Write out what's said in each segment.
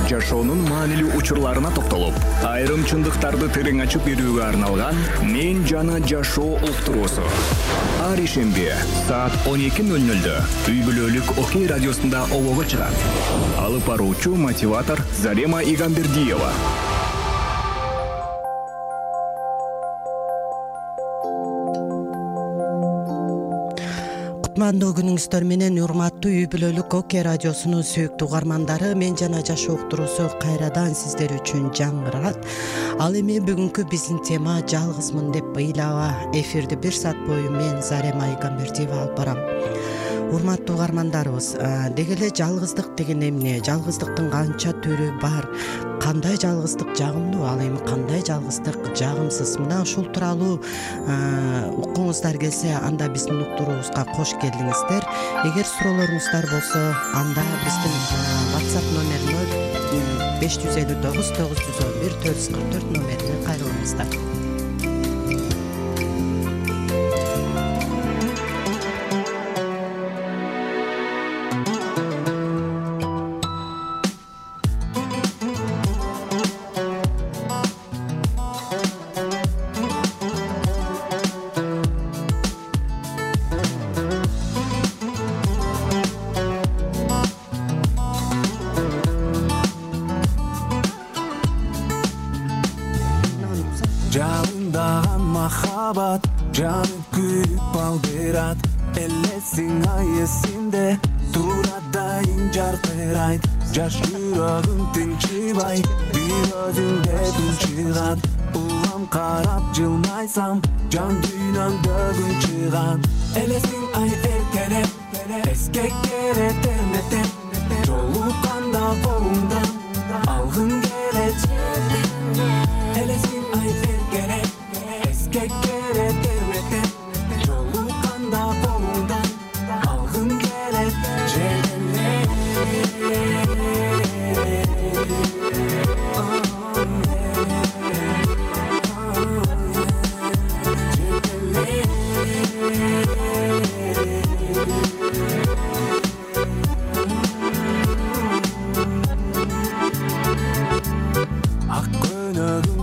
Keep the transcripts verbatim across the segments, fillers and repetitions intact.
жашоонун маанилүү учурларына токтолуп, айрым чындыктарды терең ачып берүүгө арналган «Мен жана жашоо» уктуруусу. Ар ишемби саат он эки ноль нольдө үй бүлөлүк Окей радиосунда обого чыгат. Алып баруучу мотиватор Зарема Игамбердиева. Кутмандуу күнүңүздөр менен урматтуу үй бүлөлүк Окей радиосунун сүйүктүү угармандары, мен жана жашоо уктуруусу кайрадан сиздер үчүн жаңгырат. Ал эми бүгүнкү биздин тема жалгызмын деп ыйлаба. Эфирди бир саат бою мен Зарема Игамбердиева алып барам. Урматтуу угармандарыбыз, деги эле жалгыздык деген эмне? Жалгыздыктын канча түрү бар? Кандай жалгыздык жагымдуу, ал эми кандай жалгыздык жагымсыз? Мына ушул тууралуу уккуңуздар келсе, анда биздин уктуруубузга кош келдиңиздер. Эгер суроолоруңуздар болсо, анда биздин WhatsApp номери ноль беш жүз элүү тогуз тогуз жүз он бир төрт жүз кырк төрт номерине кайрылыңыздар. Жалындаган махабат жанып күйүп алдырат, элесиң ай эсинде турат дайым жаркырайт, жаш жүрөгүм тынчыбай бир өзүңдө тынчыгат, улам карап жылмайсам жан дүйнөмдө күн чыгат, элесиң ай эркелеп, эске келет эрметеп, жолукканда колуңдан алгың келет, элесиң ай эркелеп, эске келет эрметеп, жолукканда колуңдан алгың келет, жеңелеп.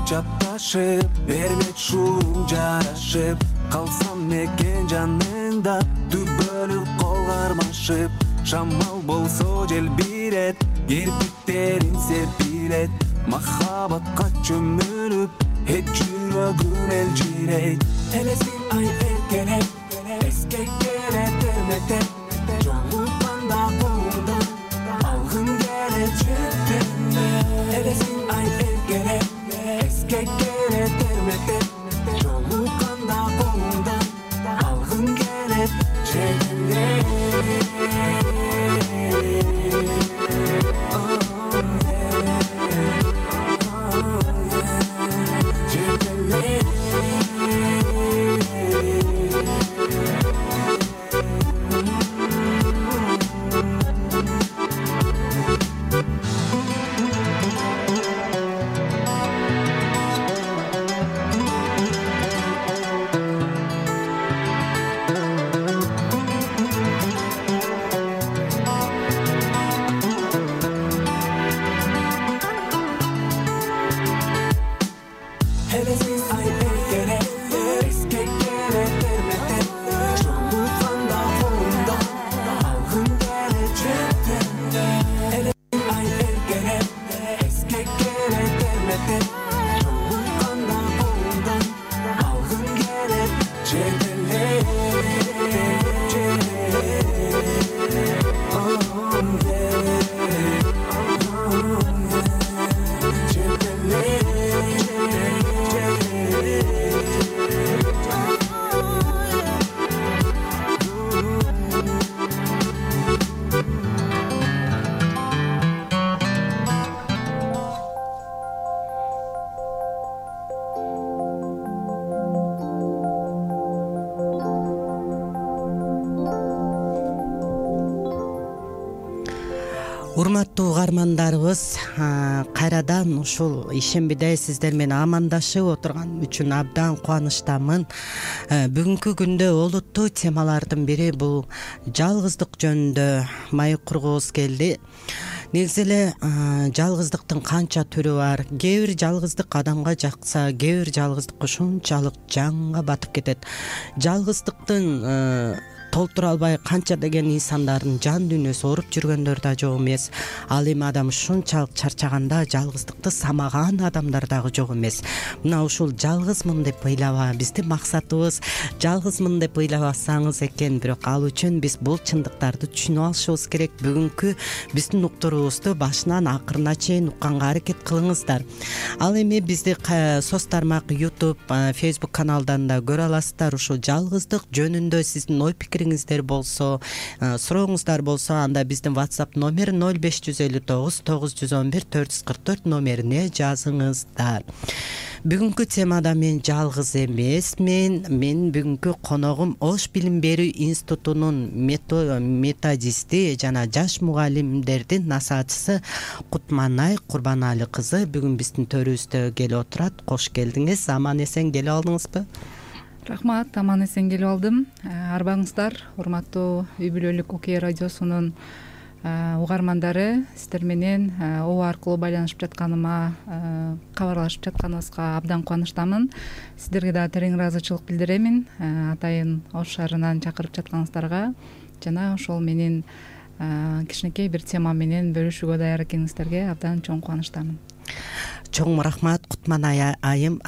Чапташып, эрмек шуум жарашып, калсам экен жаныңда түбөлүп кол кармашып, шамал болсо желбирет, кирпиктерин серпилет, махабатка чөмүлүп, эт жүрөгүм элжирейт, элесиң ай эркелеп, эске келет эрметеп, жолукканда колуңдан алгың келет, элесиң ай эркелеп, эске келет эрметеп, жолукканда колуңдан алгың келет, жеңелеп. Урматтуу угармандарыбыз, кайрадан ушул ишембиде сиздер менен амандашып отурган үчүн абдан кубанычтамын. Бүгүнкү күндө олуттуу темалардын бири бул жалгыздык жөнүндө маек кургубуз келди. негизи эле жалгыздыктын канча түрү бар. Кээ бир жалгыздык адамга жакса, кээ бир жалгыздык ушунчалык жанга батып кетет. Жалгыздыктын толтура албай канча деген инсандардын жан дүйнөсү ооруп жүргөндөр да жок эмес. Ал эми адам ушунчалык чарчаганда жалгыздыкты самаган адамдар дагы жок эмес. Мына ушул жалгызмын деп ыйлаба, биздин максатыбыз жалгызмын деп ыйлабасаңыз экен, бирок ал үчүн биз бул чындыктарды түшүнүп алышыбыз керек. Бүгүнкү биздин уктуруубузду башынан акырына чейин укканга аракет кылыңыздар. Ал эми бизди соц тармак YouTube, Facebook каналдарында көрө аласыздар. Ушул жалгыздык жөнүндө сиздин ой пикириңиздер болсо, сурооңуздар болсо, анда биздин WhatsApp номер ноль беш жүз элүү тогуз тогуз жүз он бир төрт жүз кырк төрт номерине жазыңыздар. Бүгүнкү темада мен жалгыз эмесмин. Мен бүгүнкү коногум Ош билим берүү институтунун методисти жана жаш мугалимдердин насаатчысы Кутманай Курбанали кызы бүгүн биздин төрүбүздө келип отурат. Кош келдиңиз. Аман эсен келип алдыңызбы? Рахмат, аман эсен келип алдым. Арбаңыздар, урматтуу үй бүлөлүк Окей радиосунун угармандары, сиздер менен О аркылуу байланышып жатканыма, кабарлашып жатканыбызга абдан кубанычтамын. Сиздерге да терең ыраазычылык билдиремин. Атайын Ош шаарынан чакырып жатканыңыздарга жана ошол менен кичинекей бир тема менен бөлүшүүгө даяр экениңиздерге абдан чоң кубанычтамын. Чоң рахмат Кутманай айым.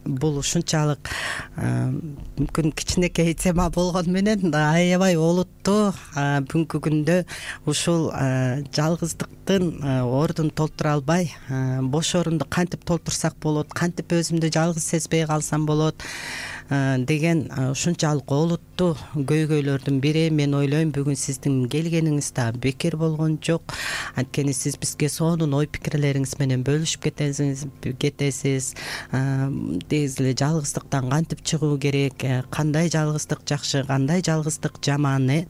Бул ушунчалык мүмкүн кичинекей тема болгону менен аябай олуттуу. Бүгүнкү күндө ушул жалгыздыктын ордун толтура албай, бош орунду кантип толтурсак болот, кантип өзүмдү жалгыз сезбей калсам болот деген ушунчалык олуттуу көйгөйлөрдүн бири. Мен ойлойм бүгүн сиздин келгениңиз да бекер болгон жок. Анткени сиз бизге сонун ой пикирлериңиз менен бөлүшүп кетесиз. кетесиз. Негизи эле жалгыздыктан кантип чыгуу керек, кандай жалгыздык жакшы, кандай жалгыздык жаман э.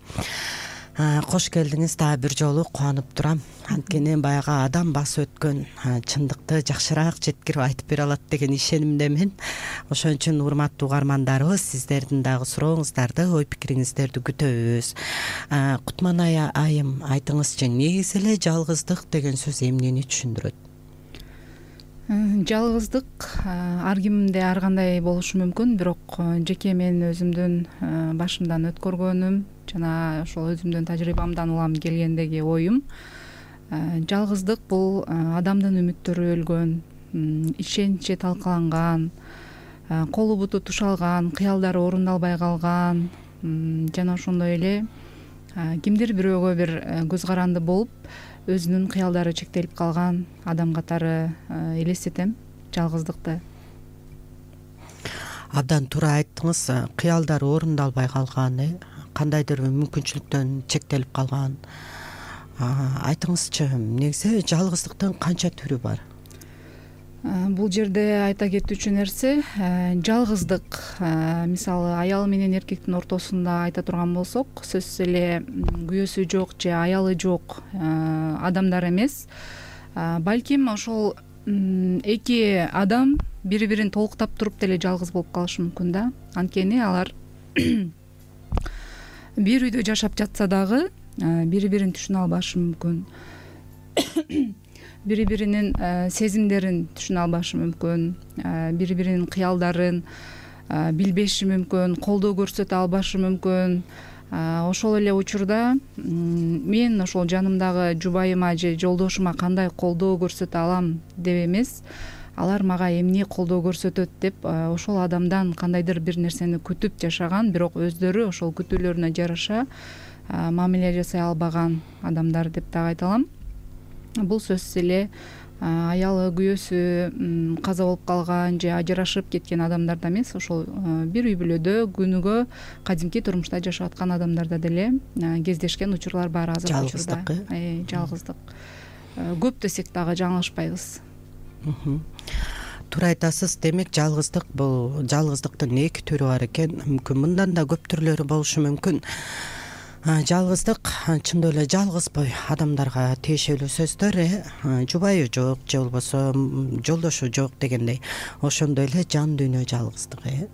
Кош келдиңиз. Дагы бир жолу кубанып турам. Анткени баягы адам басып өткөн чындыкты жакшыраак жеткирип айтып бере алат деген ишенимдемин. Ошон үчүн урматтуу угармандарыбыз, сиздердин дагы сурооңуздарды, ой пикириңиздерди күтөбүз. Кутманай айым, айтыңызчы, негизи эле жалгыздык деген сөз эмнени түшүндүрөт? Жалгыздык ар кимде ар кандай болушу мүмкүн, бирок жеке мен өзүмдүн башымдан өткөргөнүм жана ошол өзүмдүн тажрыйбамдан улам келгендеги оюм, жалгыздык бул адамдын үмүттөрү өлгөн, ишеничи талкаланган, колу буту тушалган, кыялдары орундалбай калган жана ошондой эле кимдир бирөөгө бир көз каранды болуп өзүнүн кыялдары чектелип калган адам катары элестетем жалгыздыкты. Абдан туура айттыңыз. Кыялдары орундалбай калган, кандайдыр мүмкүнчүлүктөн чектелип калган. Айтыңызчы, негизи жалгыздыктын канча түрү бар? Бул жерде айта кетүүчү нерсе, жалгыздык мисалы аял менен эркектин ортосунда айта турган болсок, сөзсүз эле күйөөсү жок же аялы жок адамдар эмес, балким ошол эки адам бири бирин толуктап туруп деле жалгыз болуп калышы мүмкүн да. Анткени алар бир үйдө жашап жатса дагы бири бирин түшүнө албашы мүмкүн, бири биринин сезимдерин түшүнө албашы мүмкүн, бири биринин кыялдарын билбеши мүмкүн, колдоо көрсөтө албашы мүмкүн. Ошол эле учурда мен ошол жанымдагы жубайыма же жолдошума кандай колдоо көрсөтө алам деп эмес, алар мага эмне колдоо көрсөтөт деп ошол адамдан кандайдыр бир нерсени күтүп жашаган, бирок өздөрү ошол күтүүлөрүнө жараша мамиле жасай албаган адамдар деп дагы айта алам. Бул сөзсүз эле аялы күйөөсү каза болуп калган же ажырашып кеткен адамдарда эмес, ошол бир үй бүлөдө күнүгө кадимки турмушта жашап аткан адамдарда деле кездешкен учурлар бар азыркы учурда. Жалгыздык, жалгыздык. Көп десек дагы жаңылышпайбыз. Туура айтасыз. Демек жалгыздык бул жалгыздыктын эки түрү бар экен. Мүмкүн мындан да көп түрлөрү болушу мүмкүн. Жалгыздык чындап эле жалгызбой адамдарга тиешелүү сөздөр, жубайы жок же болбосо жолдошу жок дегендей. Ошондой эле жан дүйнө жалгыздыгы,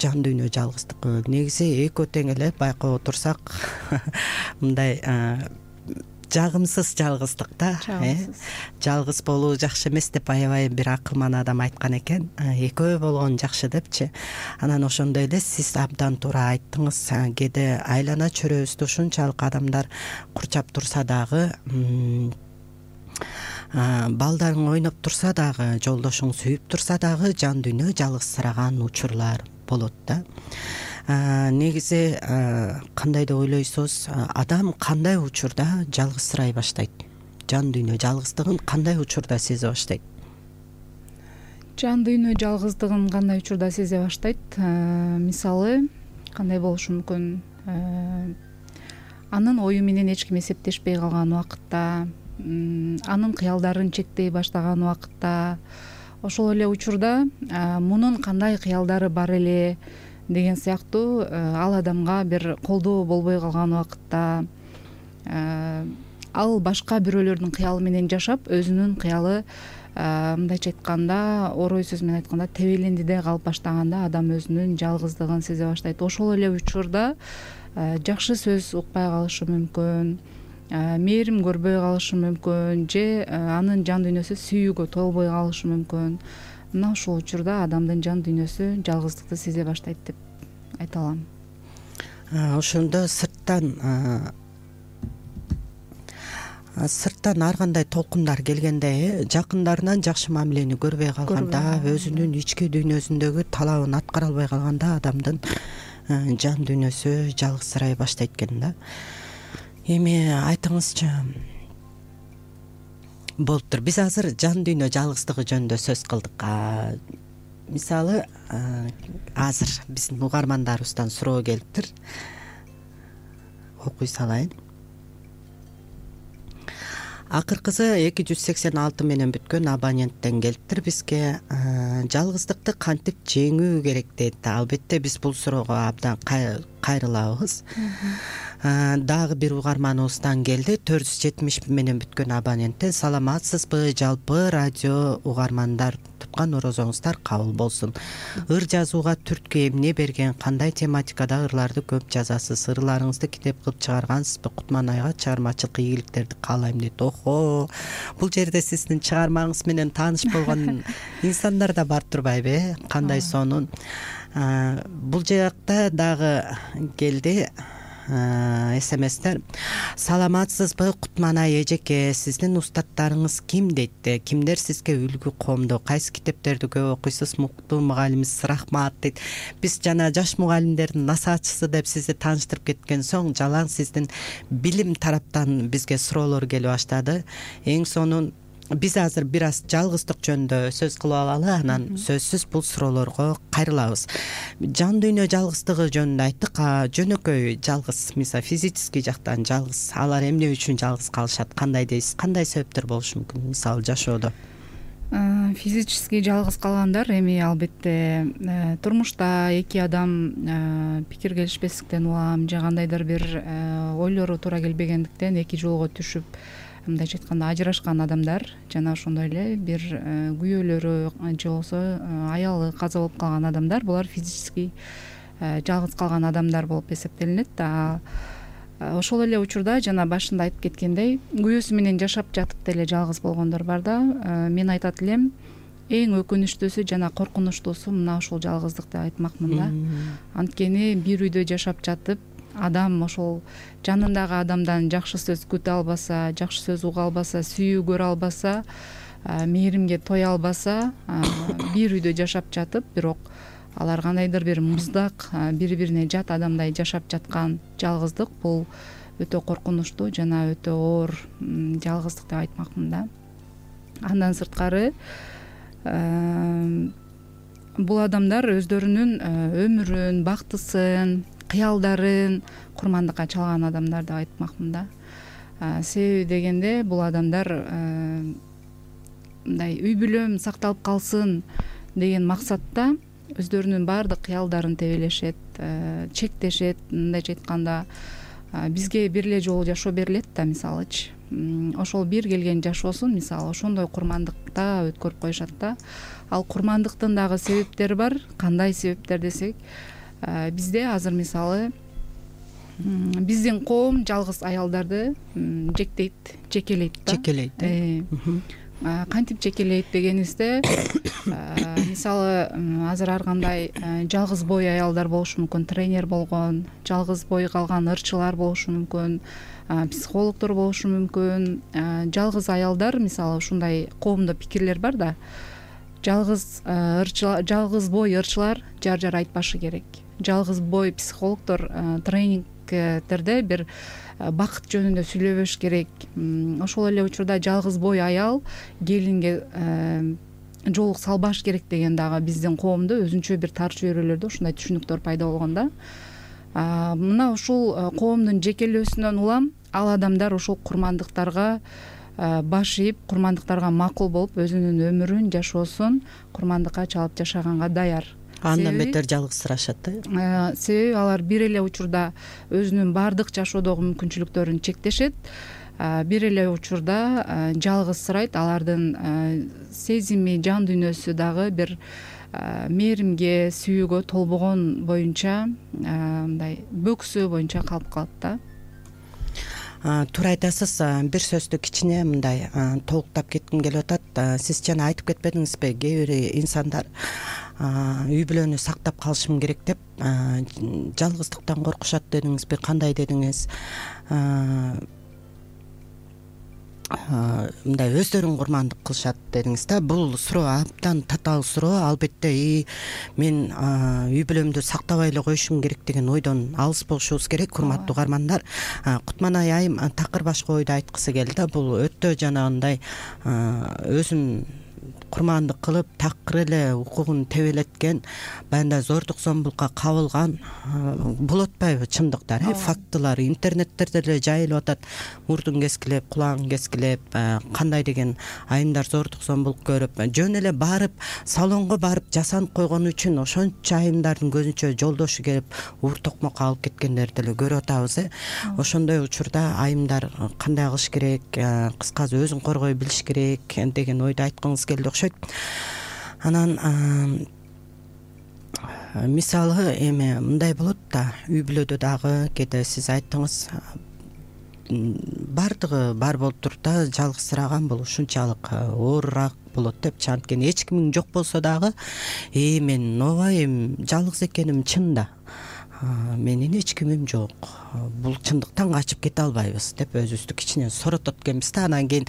жан дүйнө жалгыздыгы негизи экөө тең эле байкап отурсак мындай жагымсыз жалгыздык да, э жалгыз болуу жакшы эмес деп аябай бир акылман адам айткан экен, экөө болгон жакшы депчи. Анан ошондой эле сиз абдан туура айттыңыз. Кээде айлана чөйрөбүздү ушунчалык адамдар курчап турса дагы, балдарың ойноп турса дагы, жолдошуң сүйүп турса дагы жан дүйнө жалгызсыраган учурлар болот да. Негизи кандай деп ойлойсуз, адам кандай учурда жалгызсырай баштайт? Жан дүйнө жалгыздыгын кандай учурда сезе баштайт? Жан дүйнө жалгыздыгын кандай учурда сезе баштайт? Мисалы, кандай болушу мүмкүн? Анын ою менен эч ким эсептешпей калган убакытта, анын кыялдарын чектей баштаган убакытта, ошол эле учурда мунун кандай кыялдары бар эле деген сыяктуу ал адамга бир колдоо болбой калган убакытта, ал башка бирөөлөрдүн кыялы менен жашап, өзүнүн кыялы мындайча айтканда, орой сөз менен айтканда, тебелендиде калып баштаганда адам өзүнүн жалгыздыгын сезе баштайт. Ошол эле учурда жакшы сөз укпай калышы мүмкүн, мээрим көрбөй калышы мүмкүн, же анын жан дүйнөсү сүйүүгө толбой калышы мүмкүн. Мына ушул учурда адамдын жан дүйнөсү жалгыздыкты сезе баштайт деп айта алам. Ошондо сырттан сырттан ар кандай толкундар келгенде, жакындарынан жакшы мамилени көрбөй калганда, өзүнүн ички дүйнөсүндөгү талабын аткара албай калганда адамдын жан дүйнөсү жалгызсырай баштайт экен да. Эми айтыңызчы, болуптур. Биз азыр жан дүйнө жалгыздыгы жөнүндө сөз кылдык. Мисалы, азыр биздин угармандарыбыздан суроо келиптир. Окуй салайын. Акыркысы эки жүз сексен алты менен бүткөн абоненттен келиптир бизге. Жалгыздыкты кантип жеңүү керек дейт. Албетте биз бул суроого абдан кайрылабыз. Дагы бир угарманыбыздан келди. төрт жүз жетимиш менен бүткөн абоненттен: саламатсызбы, жалпы радио угармандар, туткан орозоңуздар кабыл болсун. Ыр жазууга түрткү эмне берген, кандай тематикада ырларды көп жазасыз? Ырларыңызды китеп кылып чыгаргансызбы? Кутман айга чыгармачылык ийгиликтерди каалайм дейт. Охо, бул жерде сиздин чыгармаңыз менен тааныш болгон инсандар да бар турбайбы? Кандай сонун. Бул жакта дагы келди смстер. Саламатсызбы, Кутманай эжеке, сиздин устаттарыңыз ким дейт? Кимдер сизге үлгү коомдо? Кайсы китептерди көп окуйсуз? Муктуу мугалимиз рахмат дейт. Биз жана жаш мугалимдердин насаатчысы деп сизди тааныштырып кеткен соң, жалаң сиздин билим тараптан бизге суроолор келип баштады. Эң сонун биз азыр бир аз жалгыздык жөнүндө сөз кылып алалы, анан сөзсүз бул суроолорго кайрылабыз. Жан дүйнө жалгыздыгы жөнүндө айттык. Жөнөкөй жалгыз, мисалы физический жактан жалгыз, алар эмне үчүн жалгыз калышат? Кандай дейсиз? Кандай себептер болушу мүмкүн, мисалы жашоодо? Физический жалгыз калгандар эми албетте турмушта эки адам пикир келишпестиктен улам, же кандайдыр бир ойлору туура келбегендиктен эки жолго түшүп, мындайча айтканда ажырашкан адамдар, жана ошондой эле бир күйөөлөрү же болбосо аялы каза болуп калган адамдар, булар физический жалгыз калган адамдар болуп эсептелинет. Ошол эле учурда жана башында айтып кеткендей, күйөөсү менен жашап жатып деле жалгыз болгондор бар да. Мен айтат элем, эң өкүнүчтүүсү жана коркунучтуусу мына ушул жалгыздык деп айтмакмын да. Анткени бир үйдө жашап жатып, адам ошол жанындагы адамдан жакшы сөз күтө албаса, жакшы сөз уга албаса, сүйүү көрө албаса, мээримге тое албаса, бир үйдө жашап жатып, бирок алар кандайдыр бир муздак, бири-бирине жат адамдай жашап жаткан жалгыздык, бул өтө коркунучтуу жана өтө оор жалгыздык деп айтмакмын да. Андан сырткары бул адамдар өздөрүнүн өмүрүн, бактысын, кыялдарын курмандыкка чалган адамдар деп айтмакмын да. Себеби дегенде бул адамдар мындай үй бүлөм сакталып калсын деген максатта өздөрүнүн баардык кыялдарын тебелешет, чектешет. Мындайча айтканда, бизге бир эле жолу жашоо берилет да, мисалычы. Ошол бир келген жашоосун, мисалы, ошондой курмандыкта өткөрүп коюшат да. Ал курмандыктын дагы себептери бар. Кандай себептер десек, бизде азыр мисалы биздин коом жалгыз аялдарды жектейт, жекелейт да. Жекелейт. Кантип жекелейт дегенибизде, мисалы азыр ар кандай жалгыз бой аялдар болушу мүмкүн, тренер болгон, жалгыз бой калган ырчылар болушу мүмкүн, психологдор болушу мүмкүн. Жалгыз аялдар, мисалы ушундай коомдо пикирлер бар да. Жалгыз ырчылар, жалгыз бой ырчылар жар жар айтпашы керек. Жалгыз бой психологдор тренингтерде бир бакыт жөнүндө сүйлөбөш керек. Ошол эле учурда жалгыз бой аял келинге жоолук салбаш керек деген дагы биздин коомдо өзүнчө бир тар чөйрөлөрдө ушундай түшүнүктөр пайда болгон да. Мына ушул коомдун жекелөөсүнөн улам ал адамдар ушул курмандыктарга баш ийип, курмандыктарга макул болуп, өзүнүн өмүрүн, жашоосун курмандыкка чалып жашаганга даяр. Андан бетер жалгызсырашат да. Себеби алар бир эле учурда өзүнүн баардык жашоодогу мүмкүнчүлүктөрүн чектешет, бир эле учурда жалгызсырайт. Алардын сезими, жан дүйнөсү дагы бир мээримге, сүйүүгө толбогон боюнча, мындай бөксө боюнча калып калат да. Туура айтасыз. Бир сөздү кичине мындай толуктап кетким келип атат. Сиз жана айтып кетпедиңизби, кээ бир инсандар үй бүлөнү сактап калышым керек деп жалгыздыктан коркушат дедиңизби, кандай дедиңиз? Мындай өздөрүн курмандык кылышат дедиңиз да. Бул суроо абдан татаал суроо. Албетте мен үй бүлөмдү сактабай эле коюшум керек деген ойдон алыс болушубуз керек, урматтуу угармандар. Кутманай айым такыр башка ойду айткысы келди. Бул өтө жанагындай өзүн курмандык кылып, такыр эле укугун тебелеткен, баягындай зордук зомбулукка кабылган болуп атпайбы чындыктар, фактылар интернеттерде деле жайылып атат. Мурдун кескилеп, кулагын кескилеп, кандай деген айымдар зордук зомбулук көрүп, жөн эле барып, салонго барып жасанып койгон үчүн ошончо айымдардын көзүнчө жолдошу келип, уур токмокко алып кеткендерди деле көрүп атабыз. Ошондой учурда айымдар кандай кылыш керек, кыскасы өзүн коргой билиш керек деген ойду айткыңыз келди окшойт. Анан мисалы эми мындай болот да, үй бүлөдө дагы кээде сиз айттыңыз, баардыгы бар болуп туруп да жалгызсыраган бул ушунчалык оорураак болот деп. Анткени эч кимиң жок болсо дагы, э мен ооба эми жалгыз экеним чын да, менин эч кимим жок, бул чындыктан качып кете албайбыз деп өзүбүздү кичине соротот экенбиз да. Анан кийин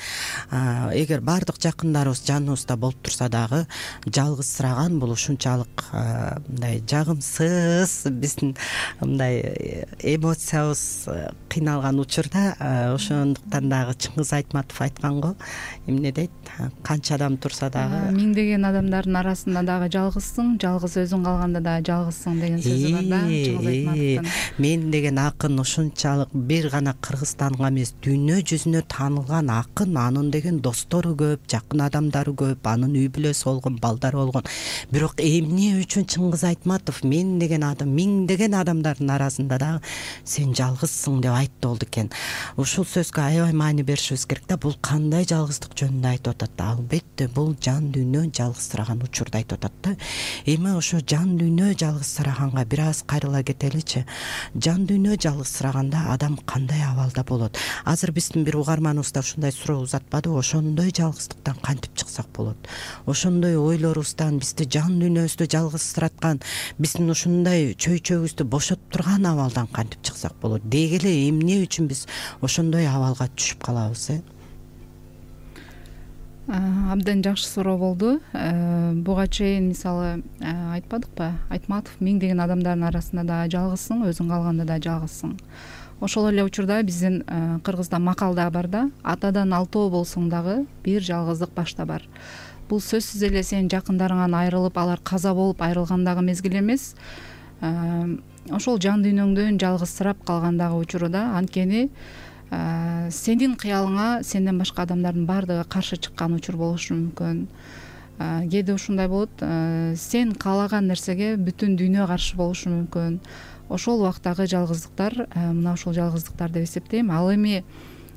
эгер баардык жакындарыбыз жаныбызда болуп турса дагы, жалгызсыраган бул ушунчалык мындай жагымсыз, биздин мындай эмоциябыз кыйналган учурда, ошондуктан дагы Чыңгыз Айтматов айткан го, эмне дейт, канча адам турса дагы миңдеген адамдардын арасында дагы жалгызсың, жалгыз өзүң калганда дагы жалгызсың деген сөзү бар да. Мен деген акын ушунчалык бир гана Кыргызстанга эмес, дүйнө жүзүнө таанылган акын, анын деген достору көп, жакын адамдары көп, анын үй бүлөсү болгон, балдары болгон. Бирок эмне үчүн Чыңгыз Айтматов мен деген адам, миңдеген адамдардын арасында дагы сен жалгызсың деп айтты болду экен. Ушул сөзгө аябай маани беришибиз керек да. Бул кандай жалгыздык жөнүндө айтып атат да? Албетте бул жан дүйнө жалгызсыраган учурда айтып атат да. Эми ошо жан дүйнө жалгызсыраганга бир аз кайрыла кетеличи. Жан дүйнө жалгызсыраганда адам кандай абалда болот? Азыр биздин бир угарманыбыз да ушундай суроо узатпады. Ошондой жалгыздыктан кантип чыксак болот? Ошондой ойлорубуздан, бизди жан дүйнөбүздү жалгызсыраткан, биздин ушундай чөйчөгүбүздү бошотуп турган абалдан кантип чыксак болот? Деги эле эмне үчүн биз ошондой абалга түшүп калабыз? э Абдан жакшы суроо болду. Буга чейин мисалы айтпадыкпы, Айтматов миңдеген адамдардын арасында да жалгызсың, өзүң калганда да жалгызсың. Ошол эле учурда биздин Кыргызда макал да бар да, атадан алтоо болсоң дагы бир жалгыздык башта бар. Бул сөзсүз эле сенин жакындарыңан айрылып, алар каза болуп айрылгандагы мезгил эмес, ошол жан дүйнөңдөн жалгызсырап калгандагы учурда. Анткени сенин кыялыңа сенден башка адамдардын баардыгы каршы чыккан учур болушу мүмкүн. Кээде ушундай болот, сен каалаган нерсеге бүтүн дүйнө каршы болушу мүмкүн. Ошол убактагы жалгыздыктар мына ошол жалгыздыктар деп эсептейм. Ал эми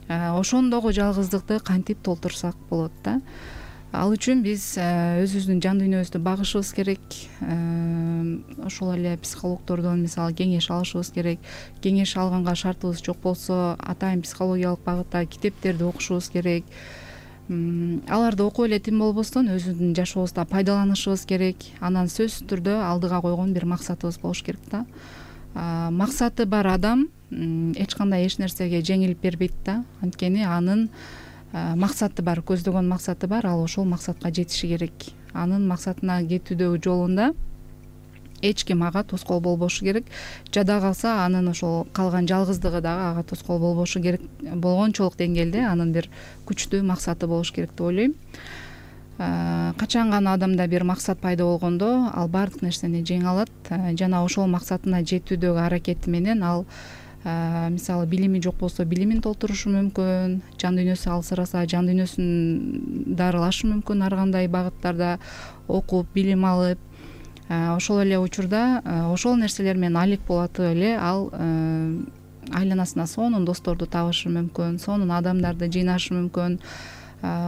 ошондогу жалгыздыкты кантип толтурсак болот да? ал үчүн биз өзүбүздүн жан дүйнөбүздү багышыбыз керек. Ошол эле психологдордон мисалы кеңеш алышыбыз керек. Кеңеш алганга шартыбыз жок болсо атайын психологиялык багытта китептерди окушубуз керек. Аларды окуп эле тим болбостон өзүбүздүн жашообузда пайдаланышыбыз керек. Анан сөзсүз түрдө алдыга койгон бир максатыбыз болуш керек да. Максаты бар адам эч кандай эч нерсеге жеңилип бербейт да. Анткени анын максаты бар, көздөгөн максаты бар, ал ошол максатка жетиши керек. Анын максатына жетүүдөгү жолунда эч ким ага тоскоол болбошу керек. Жада калса анын ошол калган жалгыздыгы дагы ага тоскоол болбошу керек. Болгончолук деңгээлде анын бир күчтүү максаты болуш керек деп ойлойм. Качан гана адамда бир максат пайда болгондо ал баардык нерсени жеңе алат жана ошол максатына жетүүдөгү аракети менен ал мисалы билими жок болсо билимин толтурушу мүмкүн, жан дүйнөсү алсыраса жан дүйнөсүн дарылашы мүмкүн, ар кандай багыттарда окуп билим алып. Ошол эле учурда ошол нерселер менен алек болотуп эле ал айланасына сонун досторду табышы мүмкүн, сонун адамдарды жыйнашы мүмкүн.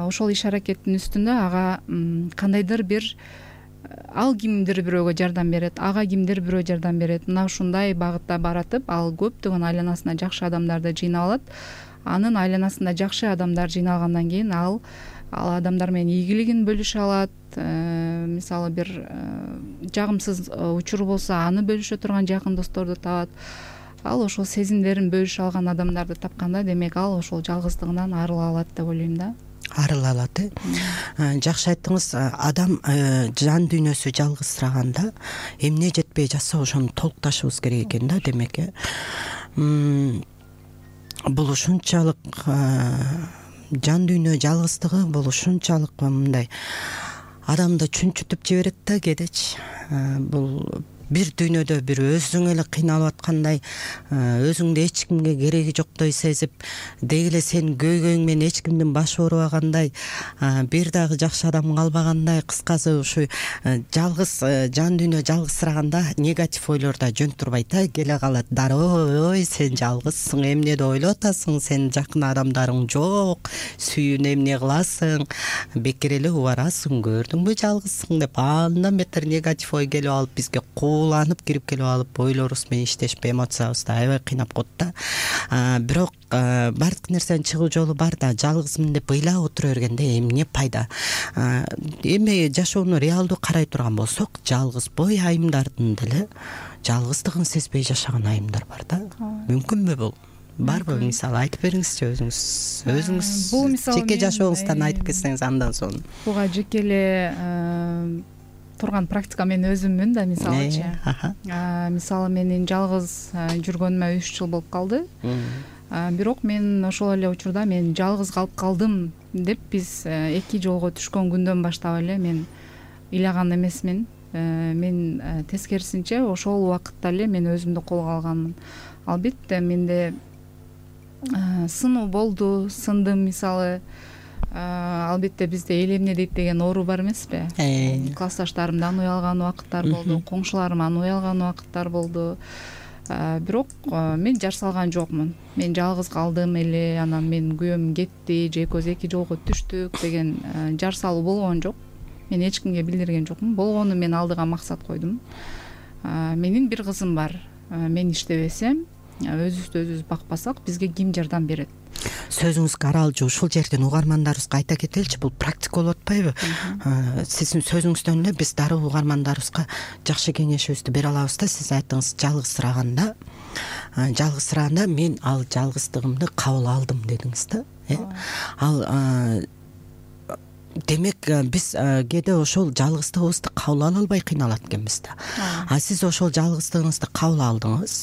Ошол иш аракеттин үстүндө ага кандайдыр бир ал кимдир бирөөгө жардам берет, ага кимдир бирөө жардам берет. Мына ушундай багытта баратып ал көптөгөн айланасына жакшы адамдарды жыйнап алат. Анын айланасында жакшы адамдар жыйналгандан кийин ал ал адамдар менен ийгилигин бөлүшө алат. Мисалы бир жагымсыз учуру болсо аны бөлүшө турган жакын досторду табат. Ал ошол сезимдерин бөлүшө алган адамдарды тапканда, демек ал ошол жалгыздыгынан арыла алат деп ойлойм да. Арыла алат э жакшы айттыңыз. Адам жан дүйнөсү жалгызсыраганда эмне жетпей жатса ошону толукташыбыз керек экен да. Демек э бул ушунчалык жан дүйнө жалгыздыгы бул ушунчалык мындай адамды чүнчүтүп жиберет да кедечи. Бул бир дүйнөдө бир өзүң эле кыйналып аткандай, өзүңдү эч кимге кереги жоктой сезип, деги эле сенин көйгөйүң менен эч кимдин башы оорубагандай, бир дагы жакшы адам калбагандай, кыскасы ушу жалгыз жан дүйнө жалгызсыраганда негатив ойлор да жөн турбайт да, келе калат. Дароо, ой, сен жалгызсың, эмнеди ойлоп атасың, сенин жакын адамдарың жок, сүйүүнү эмне кыласың, бекер эле убарасың, көрдүңбү жалгызсың деп андан бетер негатив ой келип алып бизге кууланып кирип келип алып ойлорубуз менен иштешпей эмоциябызды аябай кыйнап коет да. Бирок баардык нерсенин чыгуу жолу бар да, жалгызмын деп ыйлап отура бергенде эмне пайда? Эми жашоону реалдуу карай турган болсок, жалгыз бой айымдардын деле жалгыздыгын сезбей жашаган айымдар бар да. Мүмкүнбү бул? Барбы? Мисалы айтып бериңизчи өзүңүз. Өзүңүз бул мисалы жеке жашооңуздан айтып кетсеңиз андан соң. Буга жеке эле турган практика мен өзүммүн да, мисалычы. Мисалы менин жалгыз жүргөнүмө үч жыл болуп калды. Бирок мен ошол эле учурда мен жалгыз калып калдым деп биз эки жолго түшкөн күндөн баштап эле мен ыйлаган эмесмин. Мен тескерисинче ошол убакытта эле мен өзүмдү колго алганмын. Албетте менде сынуу болду, сындым мисалы. Албетте бизде эл эмне дейт деген оору бар эмеспи? Классташтарымдан уялган убакыттар болду, коңшуларыман уялган убакыттар болду. Бирок мен жар салган жокмун. Мен жалгыз калдым эле, анан менин күйөөм кетти, же экөөбүз эки жолго түштүк деген жар салуу болгон жок. Мен эч кимге билдирген жокмун. Болгону мен алдыга максат койдум. Менин бир кызым бар. Мен иштебесем, өзүбүздү өзүбүз бакпасак, бизге ким жардам берет? Сөзүңүзгө аралжуу ушул жерден угармандарыбызга айта кетеличи, бул практика болуп атпайбы? Сиздин сөзүңүздөн эле биз дароо угармандарыбызга жакшы кеңешибизди бере алабыз да. Сиз айттыңыз, жалгызсыраганда, жалгызсыраганда мен ал жалгыздыгымды кабыл алдым дедиңиз да. Ал демек биз кээде ошол жалгыздыгыбызды кабыл ала албай кыйналат экенбиз да. А сиз ошол жалгыздыгыңызды кабыл алдыңыз,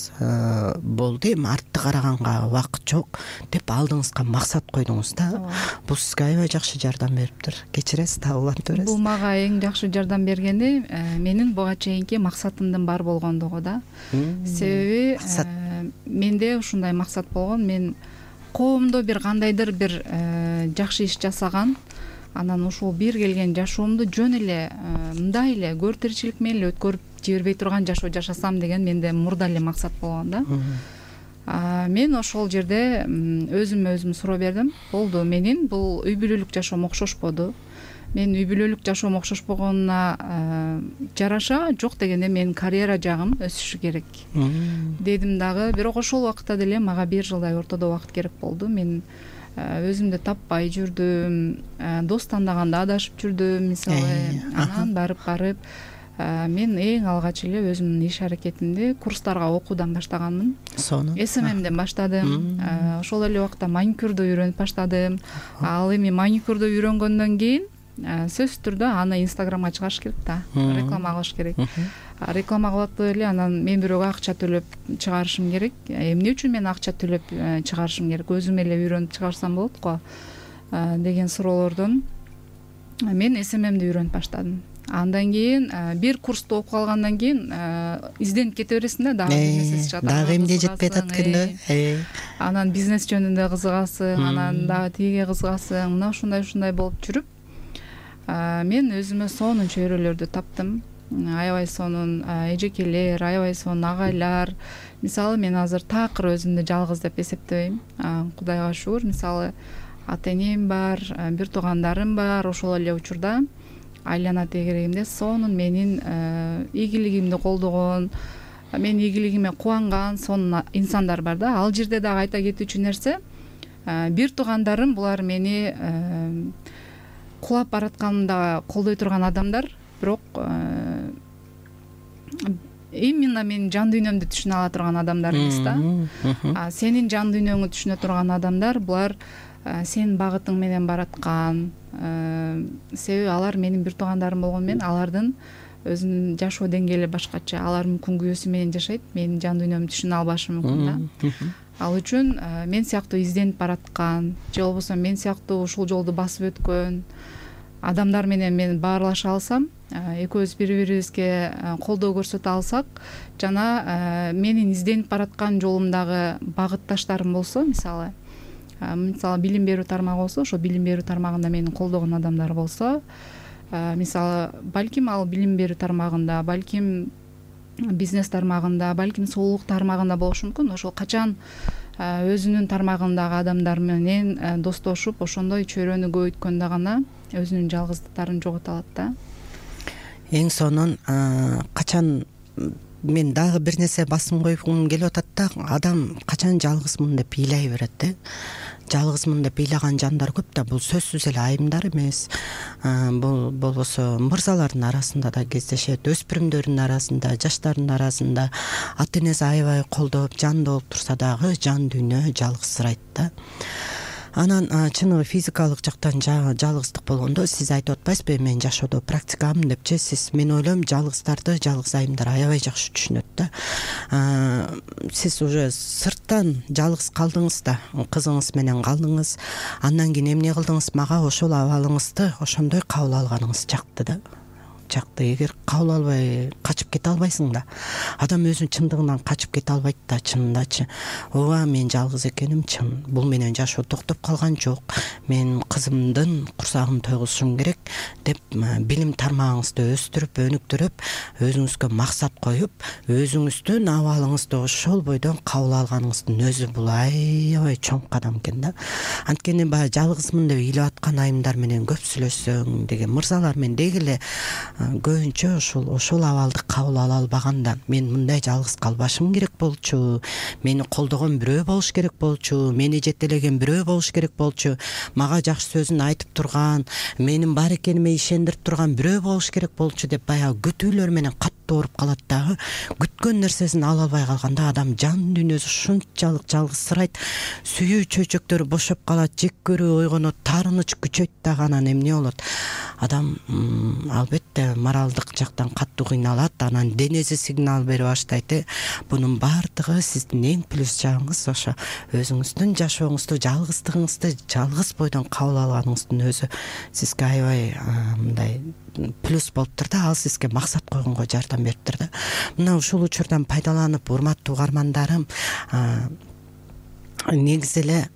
болду, эми артты караганга убакыт жок деп алдыңызга максат койдуңуз да. Бул сизге аябай жакшы жардам бериптир. Кечиресиз, дагы улантып бересиз. Бул мага эң жакшы жардам бергени менин буга чейинки максатымдын бар болгондугу да. Себеби менде ушундай максат болгон. Мен коомдо бир кандайдыр бир жакшы иш жасаган, анан ушул бир келген жашоомду жөн эле мындай эле көр тиричилик менен эле өткөрүп жибербей турган жашоо жашасам деген менде мурда эле максат болгон да. Мен ошол жерде өзүмө өзүм суроо бердим. Болду, менин бул үй бүлөлүк жашоом окшошподу. мен үй бүлөлүк жашоом окшошпогонуна жараша жок дегенде менин карьера жагым өсүшү керек дедим дагы. Бирок ошол убакытта деле мага бир жылдай ортодо убакыт керек болду. Мен өзүмдү таппай жүрдүм, дос тандаганда адашып жүрдүм мисалы. Анан барып барып мен эң алгач эле өзүмдүн иш аракетимди курстарга окуудан баштаганмын. Сону эс эм эмден баштадым. Ошол эле убакта маникюрду үйрөнүп баштадым. Ал эми маникюрду үйрөнгөндөн кийин сөзсүз түрдө аны инстаграмга чыгарыш керек да, реклама кылыш керек. Реклама кылып атып эле анан мен бирөөгө акча төлөп чыгарышым керек. Эмне үчүн мен акча төлөп чыгарышым керек? Өзүм эле үйрөнүп чыгарсам болот го деген суроолордон мен эс эм эмди үйрөнүп баштадым. Андан кийин бир курсту окуп алгандан кийин изденип кете бересиң да, дагы бизнес чыгат. Дагы эмне жетпей атат экен. Анан бизнес жөнүндө кызыгасың, анан дагы тигиге кызыгасың. Мына ушундай ушундай болуп жүрүп мен өзүмө сонун чөйрөлөрдү таптым. Аябай сонун эжекелер, аябай сонун агайлар. Мисалы мен азыр такыр өзүмдү жалгыз деп эсептебейм. Кудайга шүгүр, мисалы ата энем бар, бир туугандарым бар. Ошол эле учурда айлана тегерегимде сонун менин ийгилигимди колдогон, менин ийгилигиме кубанган сонун инсандар бар да. Ал жерде дагы айта кетүүчү нерсе, бир туугандарым булар мени кулап баратканымда колдой турган адамдар, бирок именно менин жан дүйнөмдү түшүнө ала турган адамдар эмес да. А сенин жан дүйнөңдү түшүнө турган адамдар булар сенин багытың менен бараткан. Себеби алар менин бир туугандарым болгону менен алардын өзүнүн жашоо деңгээли башкача, алар мүмкүн күйөөсү менен жашайт, менин жан дүйнөмдү түшүнө албашы мүмкүн да. Ал үчүн мен сыяктуу изденип бараткан же болбосо мен сыяктуу ушул жолду басып өткөн адамдар менен мен баарлаша алсам, экөөбүз бири бирибизге колдоо көрсөтө алсак, жана менин изденип бараткан жолумдагы багытташтарым болсо, мисалы мисалы билим берүү тармагы болсо, ошо билим берүү тармагында мени колдогон адамдар болсо, мисалы балким ал билим берүү тармагында, балким бизнес тармагында, балким соолук тармагында болушу мүмкүн. Ошол качан өзүнүн тармагындагы адамдар менен достошуп, ошондой чөйрөнү көбөйткөндө гана өзүнүн жалгыздыктарын жогото алат да. Эң сонун качан мен дагы бир нерсе басым койгум келип атат да, адам качан жалгызмын деп ыйлай берет да. Жалгызмын деп ыйлаган жандар көп да, бул сөзсүз эле айымдар эмес. Бул болбосо мырзалардын арасында да кездешет, өспүрүмдөрдүн арасында, жаштардын арасында ата энеси аябай колдоп, жандуу болуп турса дагы жан дүйнө жалгызсырайт да. Анан чыныгы физикалык жактан жалгыздык болгондо сиз айтып атпайсызбы, мен жашоодо практикамын депчи, сиз мен ойлойм жалгыздарды жалгыз айымдар аябай жакшы түшүнөт да. Сиз уже сырттан жалгыз калдыңыз да, кызыңыз менен калдыңыз, андан кийин эмне кылдыңыз, мага ошол абалыңызды ошондой кабыл алганыңыз жакты да. Жакты. Эгер кабыл албай качып кете албайсың да. Адам өзүнүн чындыгынан качып кете албайт да, чынындачы. Ооба, мен жалгыз экеним чын. Бул менен жашоо токтоп калган жок. Мен кызымдын курсагын тойгузушум керек деп билим тармагыңызды өстүрүп, өнүктүрүп, өзүңүзгө максат коюп, өзүңүздүн абалыңызды ошол бойдон кабыл алганыңыздын өзү бул аябай чоң кадам экен да. Анткени баягы жалгызмын деп ыйлап аткан айымдар менен көп сүйлөшсөң деген мырзалар мен деги эле көбүнчө ошол ошол абалды кабыл ала албаганда, мен мындай жалгыз калбашым керек болчу, мени колдогон бирөө болуш керек болчу, мени жетелеген бирөө болуш керек болчу, мага жакшы сөзүн айтып турган, менин бар экениме ишендирип турган бирөө болуш керек болчу деп баягы күтүүлөр менен каттуу ооруп калат дагы. Күткөн нерсесин ала албай калганда адам жан дүйнөсү ушунчалык жалгызсырайт, сүйүү чөйчөктөрү бошоп калат, жек көрүү ойгонот, таарыныч күчөйт дагы. Анан эмне болот? Адам албетте моралдык жактан катуу кыйналат, анан денеси сигнал бере баштайт. Бунун баардыгы сиздин эң плюс жагыңыз ошо өзүңүздүн жашооңузду, жалгыздыгыңызды жалгыз бойдон кабыл алганыңыздын өзү сизге аябай мындай плюс болуптур да, ал сизге максат койгонго жардам бериптир да. Мына ушул учурдан пайдаланып, урматтуу угармандарым, негизи эле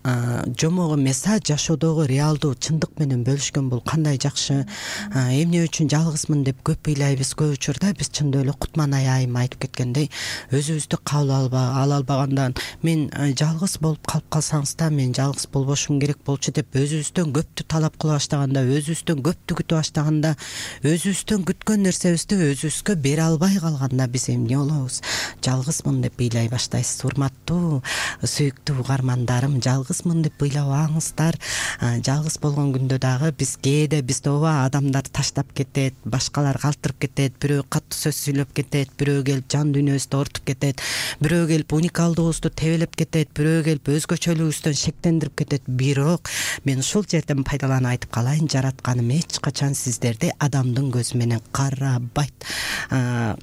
жомок эмес, а жашоодогу реалдуу чындык менен бөлүшкөн бул кандай жакшы. Эмне үчүн жалгызмын деп көп ыйлайбыз. Көп учурда биз чындап эле Кутманай айым айтып кеткендей, өзүбүздү кабыл ала албагандан, мен жалгыз болуп калып калсаңыз да мен жалгыз болбошум керек болчу деп өзүбүздөн көптү талап кыла баштаганда, өзүбүздөн көптү күтө баштаганда, өзүбүздөн күткөн нерсебизди өзүбүзгө бере албай калганда биз эмне болобуз? Жалгызмын деп ыйлай баштайсыз. Урматтуу, сүйүктүү угармандарым, жалгызмын деп ыйлабаңыздар. Жалгыз болгон күндө дагы биз кээде бизди ооба адамдар таштап кетет, башкалар калтырып кетет, бирөө катуу сөз сүйлөп кетет, бирөө келип жан дүйнөбүздү ортуп кетет, бирөө келип уникалдыгыбызды тебелеп кетет, бирөө келип өзгөчөлүгүбүздөн шектендирип кетет. Бирок мен ушул жерден пайдаланып айтып калайын, жаратканым эч качан сиздерди адамдын көзү менен карабайт.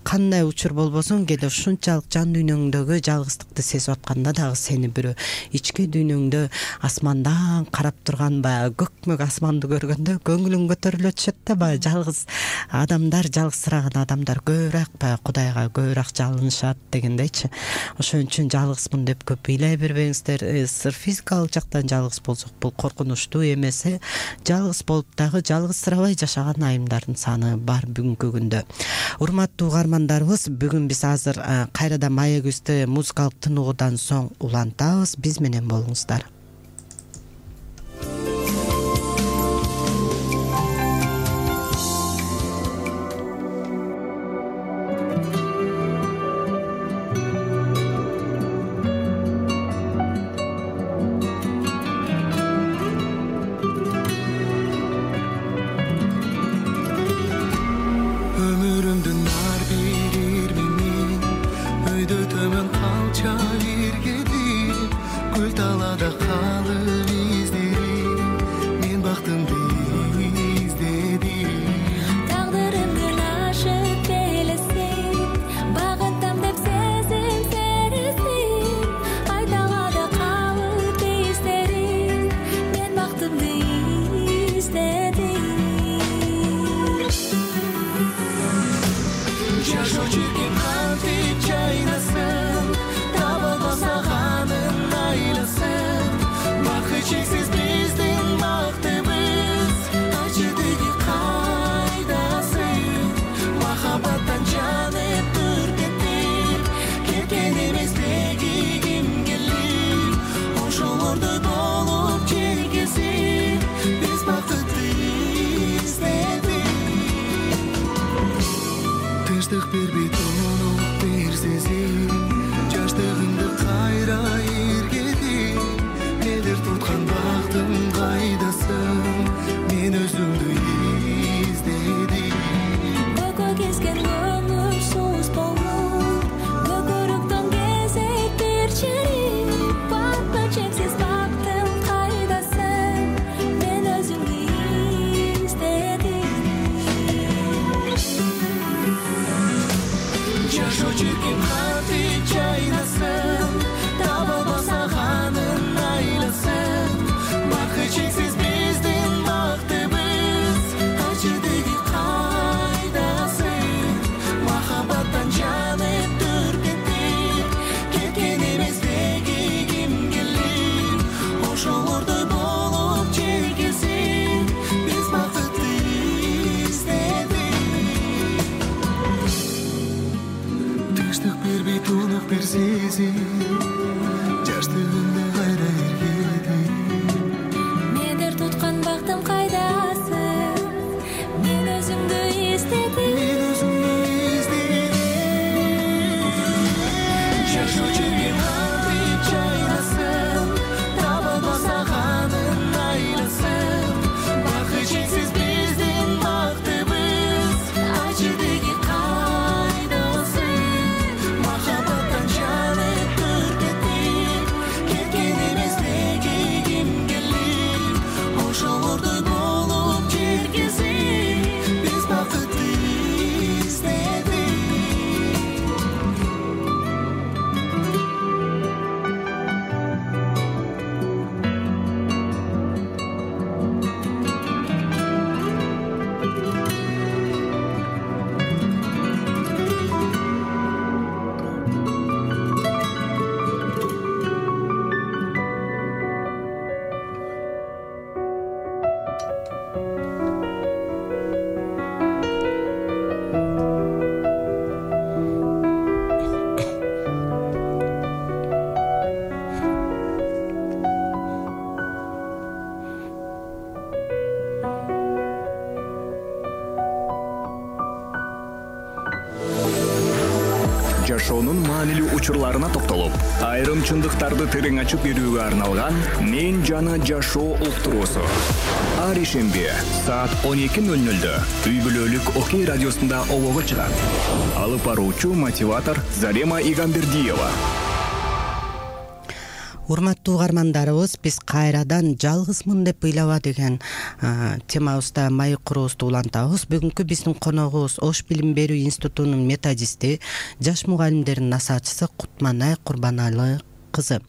Кандай учур болбосун, кээде ушунчалык жан дүйнөңдөгү жалгыздыкты сезип атканда дагы сени бирөө ички дүйнөңдө асмандан карап турган баягы көкмөк асманды көргөндө көңүлүң көтөрүлө түшөт да. Баягы жалгыз адамдар, жалгызсыраган адамдар көбүрөөк баягы Кудайга көбүрөөк жалынышат дегендейчи. Ошон үчүн жалгызмын деп көп ыйлай бербеңиздер. Сыр физикалык жактан жалгыз болсок бул коркунучтуу эмес. Жалгыз болуп дагы жалгызсырабай жашаган айымдардын саны бар бүгүнкү күндө. Урматтуу угармандарыбыз, бүгүн биз азыр кайрадан маегибизди музыкалык тыныгуудан соң улантабыз. Биз менен болуңуздар. Тынчтык бербей жашоонун маанилүү учурларына токтолуп, айрым чындыктарды терең ачып берүүгө арналган «Мен жана жашоо» уктуруусу. Ар ишемби саат он эки ноль нольдө үй бүлөлүк Окей радиосунда обого чыгат. Алып баруучу мотиватор Зарема Игамбердиева. Урматтуу угармандарыбыз, биз кайрадан жалгызмын деп ыйлаба деген темабызда маек куруубузду улантабыз. Бүгүнкү биздин коногубуз Ош билим берүү институтунун методисти, жаш мугалимдердин насаатчысы Кутманай Курбаналы кызы.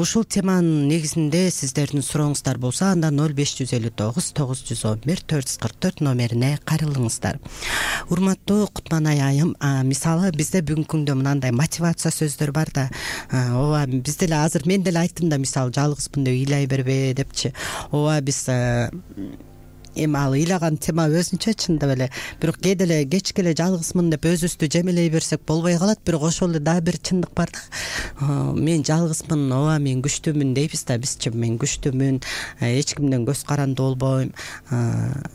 Ушул теманын негизинде сиздердин сурооңуздар болсо, анда ноль беш жүз элүү тогуз тогуз жүз он бир төрт жүз кырк төрт номерине кайрылыңыздар. Урматтуу Кутманай айым, мисалы бизде бүгүнкү күндө мындай мотивация сөздөр бар да, ооба биз деле азыр мен деле айттым да, мисалы жалгызмын деп ыйлай бербе депчи. Ооба биз эми ал ыйлаган тема өзүнчө чындап эле, бирок кээде эле кечке эле жалгызмын деп өзүбүздү жемелей берсек болбой калат. Бирок ошол эле дагы бир чындык бар да. Мен жалгызмын, ооба мен күчтүүмүн дейбиз да, бизчи мен күчтүүмүн, эч кимден көз каранды болбойм,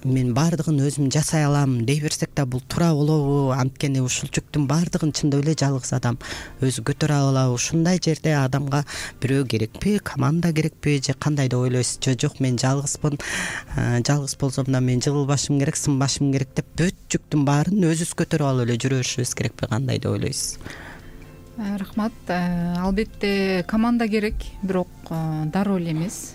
мен баардыгын өзүм жасай алам дей берсек да бул туура болобу? Анткени ушул жүктүн баардыгын чындап эле жалгыз адам өзү көтөрө алабы? Ушундай жерде адамга бирөө керекпи, команда керекпи, же кандай деп ойлойсуз? Же жок, мен жалгызмын, жалгыз болсом да мен жыгылбашым керек, сынбашым керек деп бүт жүктүн баарын өзүбүз көтөрүп алып эле жүрө беришибиз керекпи? Кандай деп ойлойсуз? Рахмат. Албетте команда керек, бирок дароо эле эмес.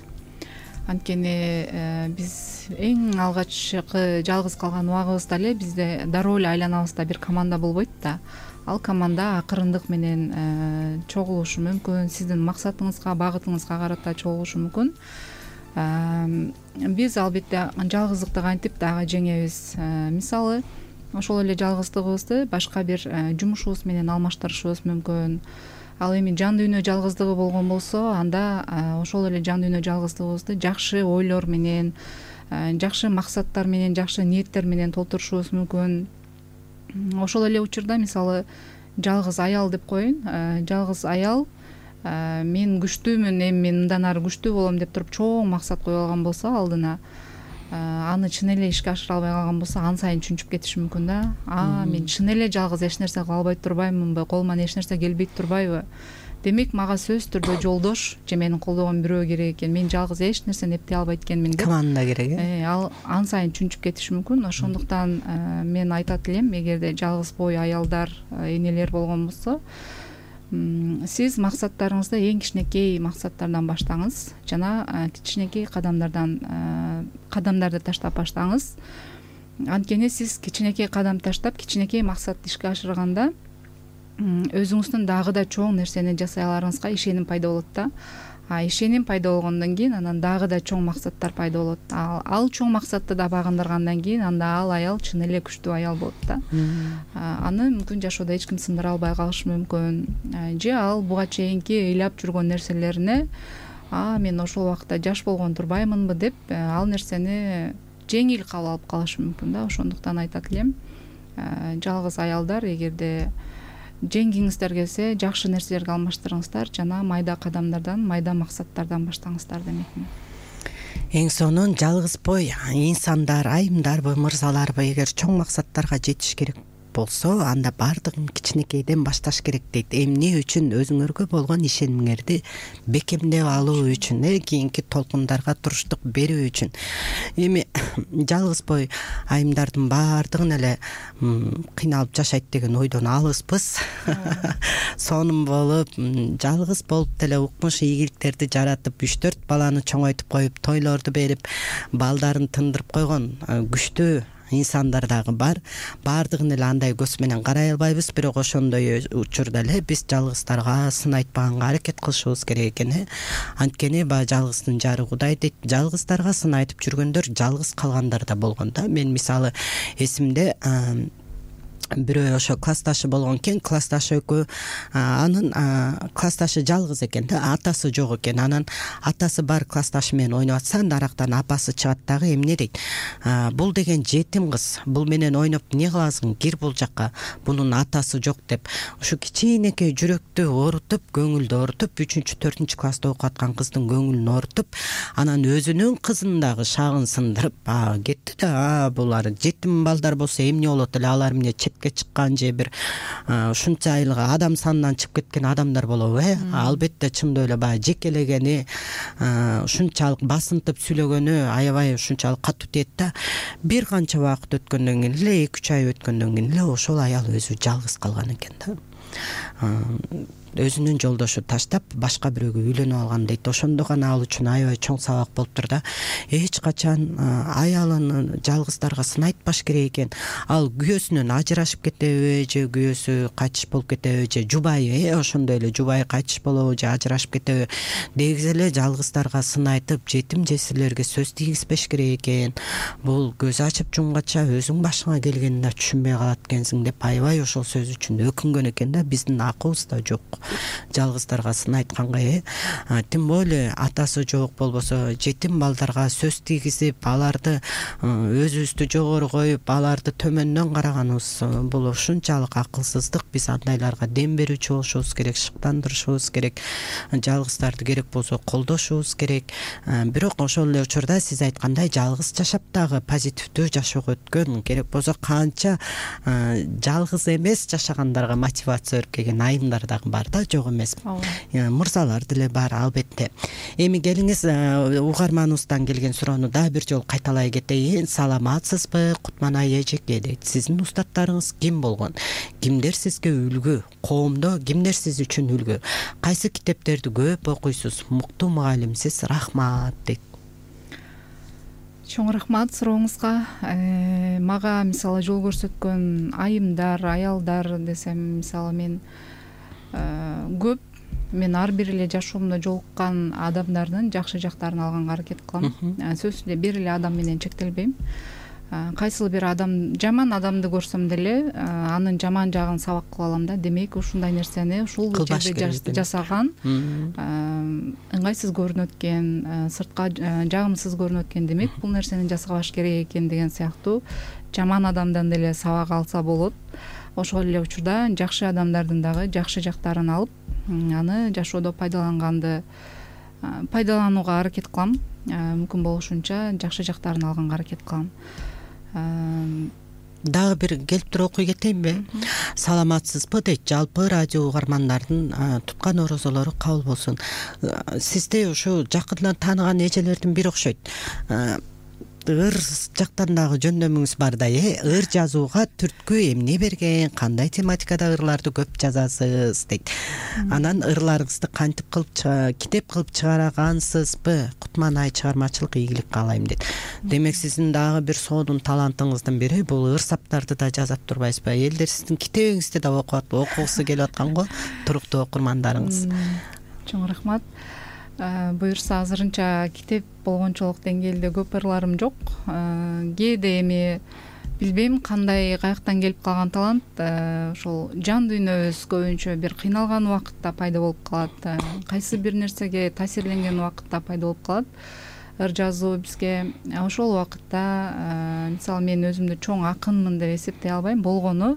Анткени биз эң алгачкы жалгыз калган убагыбызда эле бизде дароо эле айланабызда бир команда болбойт да. Ал команда акырындык менен чогулушу мүмкүн, сиздин максатыңызга, багытыңызга карата чогулушу мүмкүн. Биз албетте жалгыздыкты кантип дагы жеңебиз? Мисалы, ошол эле жалгыздыгыбызды башка бир жумушубуз менен алмаштырышыбыз мүмкүн. Ал эми жан дүйнө жалгыздыгы болгон болсо, анда ошол эле жан дүйнө жалгыздыгыбызды жакшы ойлор менен, жакшы максаттар менен, жакшы ниеттер менен толтурушубуз мүмкүн. Ошол эле учурда мисалы жалгыз аял деп коеюн. Жалгыз аял мен күчтүүмүн, эми мен мындан ары күчтүү болом деп туруп чоң максат коюп алган болсо алдына, аны чын эле ишке ашыра албай калган болсо, ан сайын чүнчүп кетиши мүмкүн да. А, мен чын эле жалгыз эч нерсе кыла албай турбаймынбы, колуман эч нерсе келбей турбайбы? Демек мага сөзсүз түрдө жолдош же мени колдогон бирөө керек экен. Мен жалгыз эч нерсени эптей албайт экенмин деп команда керек, э? Ал ан сайын чүнчүп кетиши мүмкүн. Ошондуктан мен айтат элем, эгерде жалгыз бой аялдар, энелер болгон болсо, сиз максаттарыңызды эң кичинекей максаттардан баштаңыз жана кичинекей кадамдардан кадамдарды таштап баштаңыз. Анткени сиз кичинекей кадам таштап, кичинекей максатты ишке ашырганда өзүңүздүн дагы да чоң нерсени жасай аларыңызга ишеним пайда болот да. А ишеним пайда болгондон кийин анан дагы да чоң максаттар пайда болот. Ал, ал чоң максатты да багындыргандан кийин анда ал аял чын эле күчтүү аял болот да. Аны мүмкүн жашоодо эч ким сындыра албай калышы мүмкүн. Же ал буга чейинки ыйлап жүргөн нерселерине, а мен ошол убакта жаш болгон турбаймынбы деп ал нерсени жеңил кабыл алып калышы мүмкүн да. Ошондуктан айтат элем, жалгыз аялдар, эгерде жеңгиңиздер келсе, жакшы нерселерге алмаштырыңыздар жана майда кадамдардан, майда максаттардан баштаңыздар демекмин. Эң сонун жалгыз бой инсандар, айымдарбы, мырзаларбы, эгер чоң максаттарга жетиш керек болсо, анда баардыгын кичинекейден башташ керек дейт. Эмне үчүн? Өзүңөргө болгон ишенимиңерди бекемдеп алуу үчүн, э, кийинки толкундарга туруштук берүү үчүн. Эми жалгыз бой айымдардын баардыгын эле кыйналып жашайт деген ойдон алыспыз. Сонун болуп, жалгыз болуп деле укмуш ийгиликтерди жаратып, үч төрт баланы чоңойтуп коюп, тойлорду берип, балдарын тындырып койгон күчтүү инсандар дагы бар. Баардыгын эле андай көз менен карай албайбыз, бирок ошондой учурда эле биз жалгыздарга сын айтпаганга аракет кылышыбыз керек экен. Анткени баягы жалгыздын жары Кудай дейт. Жалгыздарга сын айтып жүргөндөр жалгыз калгандар да болгон да. Мен мисалы эсимде бирөө ошо классташы болгон экен. Классташы экөө, анын классташы жалгыз экен да, атасы жок экен. Анан атасы бар классташы менен ойноп атса, нарактан апасы чыгат дагы эмне дейт: бул деген жетим кыз, бул менен ойноп эмне кыласың, кир бул жакка, бунун атасы жок деп. Ушу кичинекей жүрөктү оорутуп, көңүлдү оорутуп, үчүнчү төртүнчү класста окуп аткан кыздын көңүлүн оорутуп, анан өзүнүн кызын дагы шагын сындырып кетти да. Булар жетим балдар болсо эмне болот эле, алар эмне четке чыккан же бир ушунчалык адам санынан чыгып кеткен адамдар болобу э албетте чындап эле баягы жекелегени ушунчалык басынтып сүйлөгөнү аябай ушунчалык катуу тиет да. Бир канча убакыт өткөндөн кийин эле эки үч ай өткөндөн кийин эле ошол аял өзү жалгыз калган экен да. Өзүнүн жолдошу таштап башка бирөөгө үйлөнүп алган дейт. Ошондо гана ал үчүн аябай чоң сабак болуптур да. Эч качан аялын жалгыздарга сын айтпаш керек экен. Ал күйөөсүнөн ажырашып кетеби же күйөөсү кайтыш болуп кетеби же жубайы э ошондой эле жубайы кайтыш болобу же ажырашып кетеби дегиз эле жалгыздарга сын айтып, жетим жесирлерге сөз тийгизбеш керек экен. Бул көз ачып жумгача өзүң башыңа келгенин да түшүнбөй калат экенсиң деп аябай ошол сөз үчүн өкүнгөн экен да. Биздин акыбыз да жок жалгыздарга сын айтканга э тем более атасы жок болбосо жетим балдарга сөз тийгизип аларды өзүбүздү жогору коюп аларды төмөндөн караганыбыз бул ушунчалык акылсыздык. Биз андайларга дем берүүчү болушубуз керек, шыктандырышыбыз керек, жалгыздарды керек болсо колдошубуз керек. Бирок ошол эле учурда сиз айткандай жалгыз жашап дагы позитивдүү жашоого өткөн, керек болсо канча жалгыз эмес жашагандарга мотивация берип келген айымдар дагы бар да, жок эмес. Мырзалар деле бар албетте. Эми келиңиз угарманыбыздан келген суроону дагы бир жолу кайталай кетейин. Саламатсызбы Кутманай эжеке дейт. Сиздин устаттарыңыз ким болгон? Кимдер сизге үлгү? Коомдо кимдер сиз үчүн үлгү? Кайсы китептерди көп окуйсуз? Муктуу мугалимсиз. Рахмат дейт. Чоң рахмат сурооңузга. Мага мисалы жол көрсөткөн айымдар, аялдар десем, мисалы мен көп мен ар бир эле жашоомдо жолуккан адамдардын жакшы жактарын алганга аракет кылам. Сөзсүз эле бир эле адам менен чектелбейм. Кайсыл бир адам, жаман адамды көрсөм деле анын жаман жагын сабак кылып алам да. Демек ушундай нерсени ушул жерде жасаган ыңгайсыз көрүнөт экен, сыртка жагымсыз көрүнөт экен. Демек бул нерсени жасабаш керек экен деген сыяктуу жаман адамдан деле сабак алса болот. Ошол эле учурда жакшы адамдардын дагы жакшы жактарын алып, аны жашоодо пайдаланганды пайдаланууга аракет кылам. Мүмкүн болушунча жакшы жактарын алганга аракет кылам. Дагы бир келип туруп окуй кетейинби? Саламатсызбы дейт. Жалпы радио угармандардын туткан орозолору кабыл болсун. Сизди ушу жакындан тааныган эжелердин бири окшойт. Ыр жактан дагы жөндөмүңүз бар да, э ыр жазууга түрткү эмне берген, кандай тематикада ырларды көп жазасыз дейт. Анан ырларыңызды кантип кылып китеп кылып чыгаргансызбы? Кутманай чыгармачылык ийгилик каалайм дейт. Демек сиздин дагы бир сонун талантыңыздын бири бул ыр саптарды да жазат турбайсызбы? Элдер сиздин китебиңизди да окуп окугусу келип аткан го, туруктуу окурмандарыңыз. Чоң рахмат. Буюрса азырынча китеп болгончолук деңгээлде көп ырларым жок. Кээде эми билбейм кандай каяктан келип калган талант, ошол жан дүйнөбүз көбүнчө бир кыйналган убакытта пайда болуп калат. Кайсы бир нерсеге таасирленген убакытта пайда болуп калат. Ыр жазуу бизге ошол убакытта, мисалы мен өзүмдү чоң акынмын деп эсептей албайм. Болгону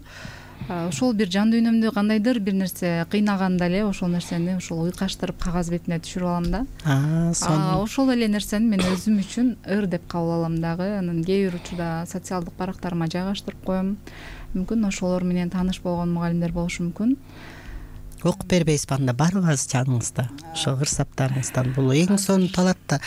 ошол бир жан дүйнөмдү кандайдыр бир нерсе кыйнаганда эле ошол нерсени ошол уйкаштырып кагаз бетине түшүрүп алам да. Ошол эле нерсени мен өзүм үчүн ыр деп кабыл алам дагы. Анан кээ бир учурда социалдык барактарыма жайгаштырып коем. Мүмкүн ошолор менен тааныш болгон мугалимдер болушу мүмкүн. Окуп бербейсизби анда барыбыз жаныңызда ошо ыр саптарыңыздан? Бул эң сонун талант да.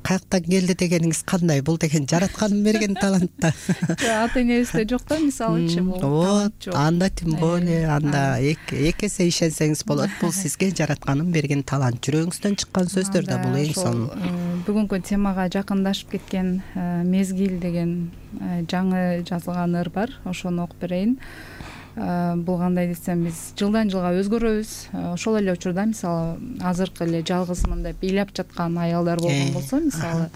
Каяктан келди дегениңиз кандай? Бул деген жаратканын берген талант да. Ата энебизде жок да, мисалычы бул. Вот, анда тем более анда эки эсе ишенсеңиз болот. Бул сизге жаратканын берген талант. Жүрөгүңүздөн чыккан сөздөр да бул эң сонун. Бүгүнкү темага жакындашып кеткен Мезгил деген жаңы жазылган ыр бар. Ошону окуп берейин. Бул кандай десем, биз жылдан жылга өзгөрөбүз. Ошол эле учурда мисалы азыркы эле жалгызмын деп ыйлап жаткан аялдар болгон болсо, мисалы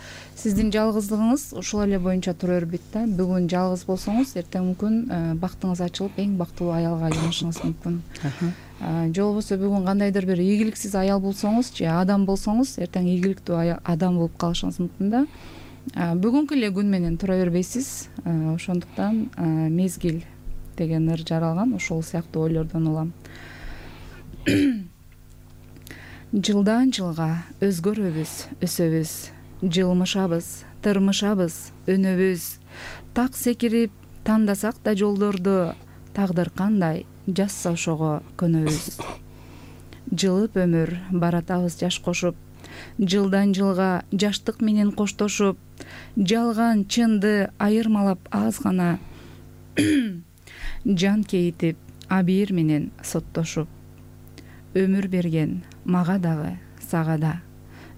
сиздин жалгыздыгыңыз ошол эле боюнча тура бербейт да. Бүгүн жалгыз болсоңуз, эртең мүмкүн бактыңыз ачылып эң бактылуу аялга айланышыңыз мүмкүн. Же болбосо бүгүн кандайдыр бир ийгиликсиз аял болсоңуз же адам болсоңуз, эртең ийгиликтүү адам болуп калышыңыз мүмкүн да. Бүгүнкү эле күн менен тура бербейсиз. Ошондуктан Мезгил деген ыр жаралган, ошол сыяктуу ойлордон улам. Жылдан жылга өзгөрөбүз, өсөбүз, жылмышабыз, тырмышабыз, өнөбүз. Так секирип тандасак да жолдорду, тагдыр кандай жазса ошого көнөбүз. Жылып өмүр баратабыз жаш кошуп, жылдан жылга жаштык менен коштошуп, жалган чынды айырмалап аз гана жан кейитип абийир менен соттошуп. Өмүр берген мага дагы сага да,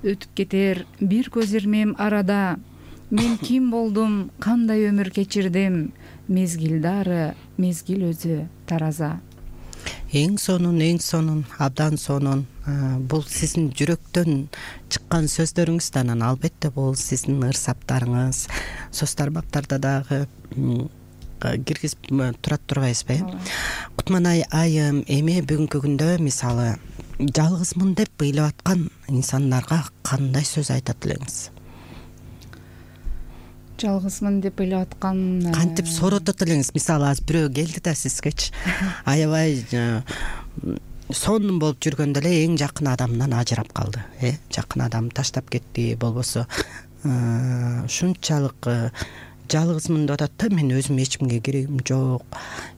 өтүп кетер бир көз ирмем арада. Мен ким болдум, кандай өмүр кечирдим, мезгил дары, мезгил өзү тараза. Эң сонун, эң сонун, абдан сонун. Бул сиздин жүрөктөн чыккан сөздөрүңүз да, анан албетте бул сиздин ырсаптарыңыз. Соц тармактарда дагы киргизип турат турбайсызбы? Кутманай айым, эми бүгүнкү күндө мисалы жалгызмын деп ыйлап аткан инсандарга кандай сөз айтат элеңиз? Жалгызмын деп ыйлап аткан кантип сооротот элеңиз? Мисалы азыр бирөө келди да сизгечи аябай сонун болуп жүргөндө эле эң жакын адамынан ажырап калды, э жакын адам таштап кетти, болбосо ушунчалык жалгызмын деп атат да, мен өзүм эч кимге керегим жок,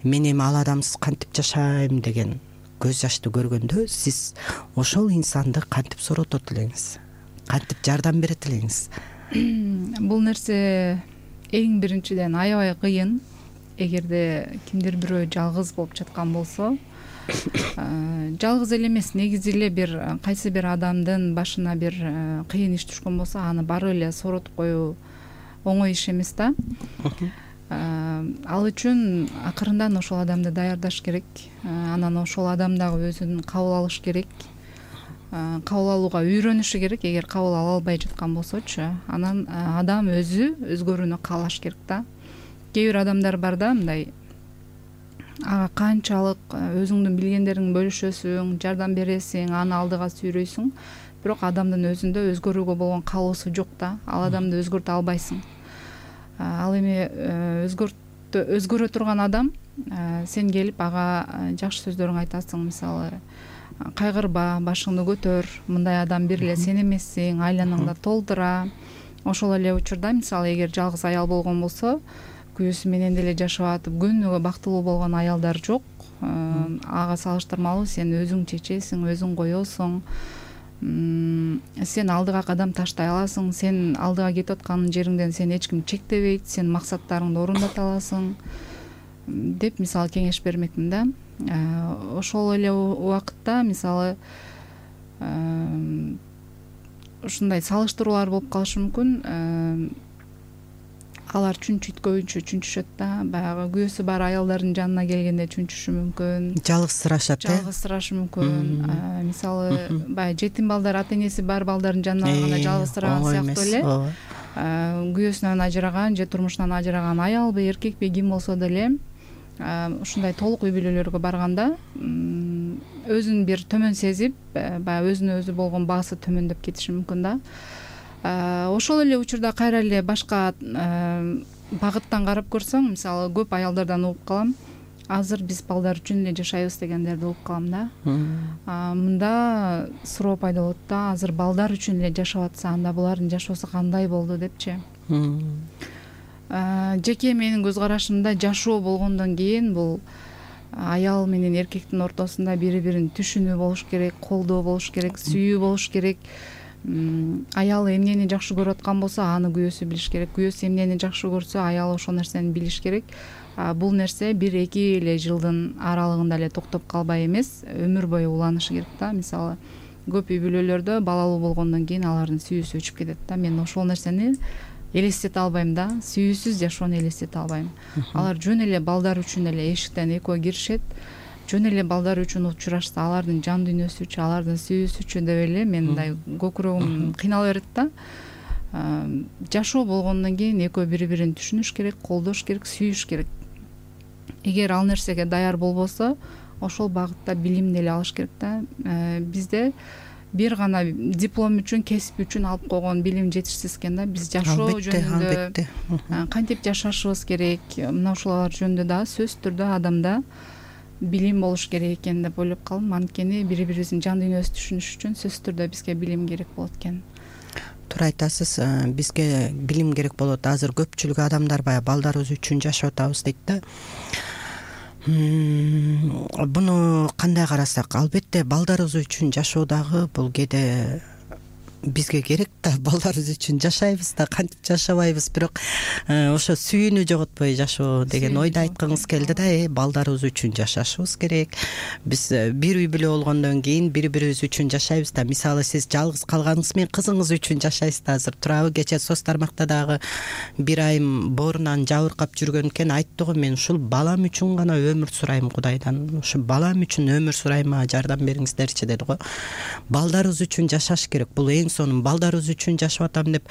мен эми ал адамсыз кантип жашайм деген көз жашты көргөндө сиз ошол инсанды кантип сооротот элеңиз? Кантип жардам берет элеңиз? Бул нерсе эң биринчиден аябай кыйын. Эгерде кимдир бирөө жалгыз болуп жаткан болсо, жалгыз эле эмес, негизи эле бир кайсы бир адамдын башына бир кыйын иш түшкөн болсо, аны бары эле сооротуп коюу оңой иш эмес да. Ал үчүн акырындан ошол адамды даярдаш керек. Анан ошол адам дагы өзүн кабыл алыш керек. Кабыл алууга үйрөнүшү керек. Эгер кабыл ала албай жаткан болсочу, анан адам өзү өзгөрүүнү каалаш керек да. Кээ бир адамдар бар да, мындай ага канчалык өзүңдүн билгендериңди бөлүшөсүң, жардам бересиң, аны алдыга сүйрөйсүң, бирок адамдын өзүндө өзгөрүүгө болгон каалоосу жок да. Ал адамды өзгөртө албайсың. Ал эми өзгөртө өзгөрө турган адам, сен келип ага жакшы сөздөрүң айтасың, мисалы кайгырба, башыңды көтөр, мындай адам бир эле сен эмессиң, айланаңда толтура. Ошол эле учурда мисалы эгер жалгыз аял болгон болсо, күйөөсү менен деле жашап атып күнүгө бактылуу болгон аялдар жок. Ага салыштырмалуу сен өзүң чечесиң, өзүң коесуң. Сен алдыга кадам таштай аласың, сен алдыга кетип аткан жериңден сен эч ким чектебейт, сен максаттарыңды орундата аласың деп мисалы кеңеш бермекмин да. Ошол эле убакытта мисалы ушундай салыштыруулар болуп калышы мүмкүн. Алар чүнчүткөнчү чүнчүшөт да, баягы күйөөсү бар аялдардын жанына келгенде чүнчүшү мүмкүн. Жалгызсырашат, э? Жалгызсырашы мүмкүн. Мисалы баягы жетим балдар ата энеси бар балдардын жанына барганда жалгызсыраган сыяктуу эле. Күйөөсүнөн ажыраган же турмушунан ажыраган аялбы, эркекпи, ким болсо деле ушундай толук үй бүлөлөргө барганда өзүн бир төмөн сезип, баягы өзүнө өзү болгон баасы төмөндөп кетиши мүмкүн да. Ошол эле учурда кайра эле башка багыттан карап көрсөң, мисалы көп аялдардан угуп калам, азыр биз балдар үчүн эле жашайбыз дегендерди угуп калам да. Мында суроо пайда болот да, азыр балдар үчүн эле жашап атса, анда булардын жашоосу кандай болду депчи. Жеке менин көз карашымда жашоо болгондон кийин бул аял менен эркектин ортосунда бири-бирин түшүнүү болуш керек, колдоо болуш керек, сүйүү болуш керек. Аял эмнени жакшы көрүп аткан болсо, аны күйөөсү билиш керек. Күйөөсү эмнени жакшы көрсө, аял ошол нерсени билиш керек. Бул нерсе бир-эки эле жылдын аралыгында эле токтоп калбай эмес, өмүр бою уланышы керек да. Мисалы, көп үй бүлөлөрдө балалуу болгондон кийин алардын сүйүүсү өчүп кетет да. Мен ошол нерсени элестете албайм да. Сүйүүсүз жашоону элестете албайм. Алар жөн эле балдар үчүн эле эшиктен экөө киришет. Жөн эле балдар үчүн учурашса, алардын жан дүйнөсү үчүн, алардын сүйүүсү үчүн деп эле мен мындай көкүрөгүм кыйнала берет да. Жашоо болгондон кийин экөө бири-бирин түшүнүш керек, колдош керек, сүйүш керек. Эгер ал нерсеге даяр болбосо, ошол багытта билимди эле алыш керек да. Бизде бир гана диплом үчүн, кесип үчүн алып койгон билим жетишсиз экен да. Биз жашоо жөнүндө кантип жашашыбыз керек, мына ушулар жөнүндө да сөзсүз түрдө адамда билим болуш керек экен деп ойлоп калдым. Анткени бири-бирибиздин жан дүйнөсүн түшүнүш үчүн сөзсүз түрдө бизге билим керек болот экен. Туура айтасыз, бизге билим керек болот. Азыр көпчүлүк адамдар баягы балдарыбыз үчүн жашап атабыз дейт да. Буну кандай карасак, албетте балдарыбыз үчүн жашоо дагы бул кээде бизге керек да, балдарыбыз үчүн жашайбыз да, кантип жашабайбыз, бирок ошо сүйүүнү жоготпой жашоо деген ойду айткыңыз келди да. Э балдарыбыз үчүн жашашыбыз керек. Биз бир үй бүлө болгондон кийин бири бирибиз үчүн жашайбыз да. Мисалы сиз жалгыз калганыңыз менен кызыңыз үчүн жашайсыз да. Азыр турабы, кечээ соц тармакта дагы бир айым боорунан жабыркап жүргөн экен, айтты го, мен ушул балам үчүн гана өмүр сурайм Кудайдан, ушу балам үчүн өмүр сурайм, жардам бериңиздерчи деди го. Балдарыбыз үчүн жашаш керек. Бул эң сонун. Балдарыбыз үчүн жашап атам деп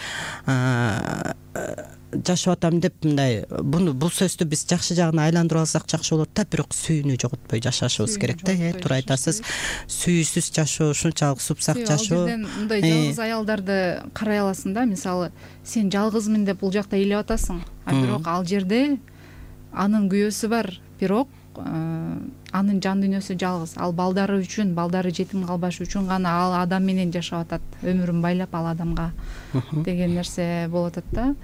жашап атам деп мындай буну бул сөздү биз жакшы жагына айландырып алсак жакшы болот да, бирок сүйүүнү жоготпой жашашыбыз керек да. Э туура айтасыз. Сүйүүсүз жашоо ушунчалык супсак жашоо. Ал жерден мындай жалгыз аялдарды карай аласың да. Мисалы, сен жалгызмын деп бул жакта ыйлап атасың, а бирок ал жерде анын күйөөсү бар, бирок анын жан дүйнөсү жалгыз. Ал балдары үчүн, балдары жетим калбаш үчүн гана ал адам менен жашап атат, өмүрүн байлап ал адамга деген нерсе болуп атат да.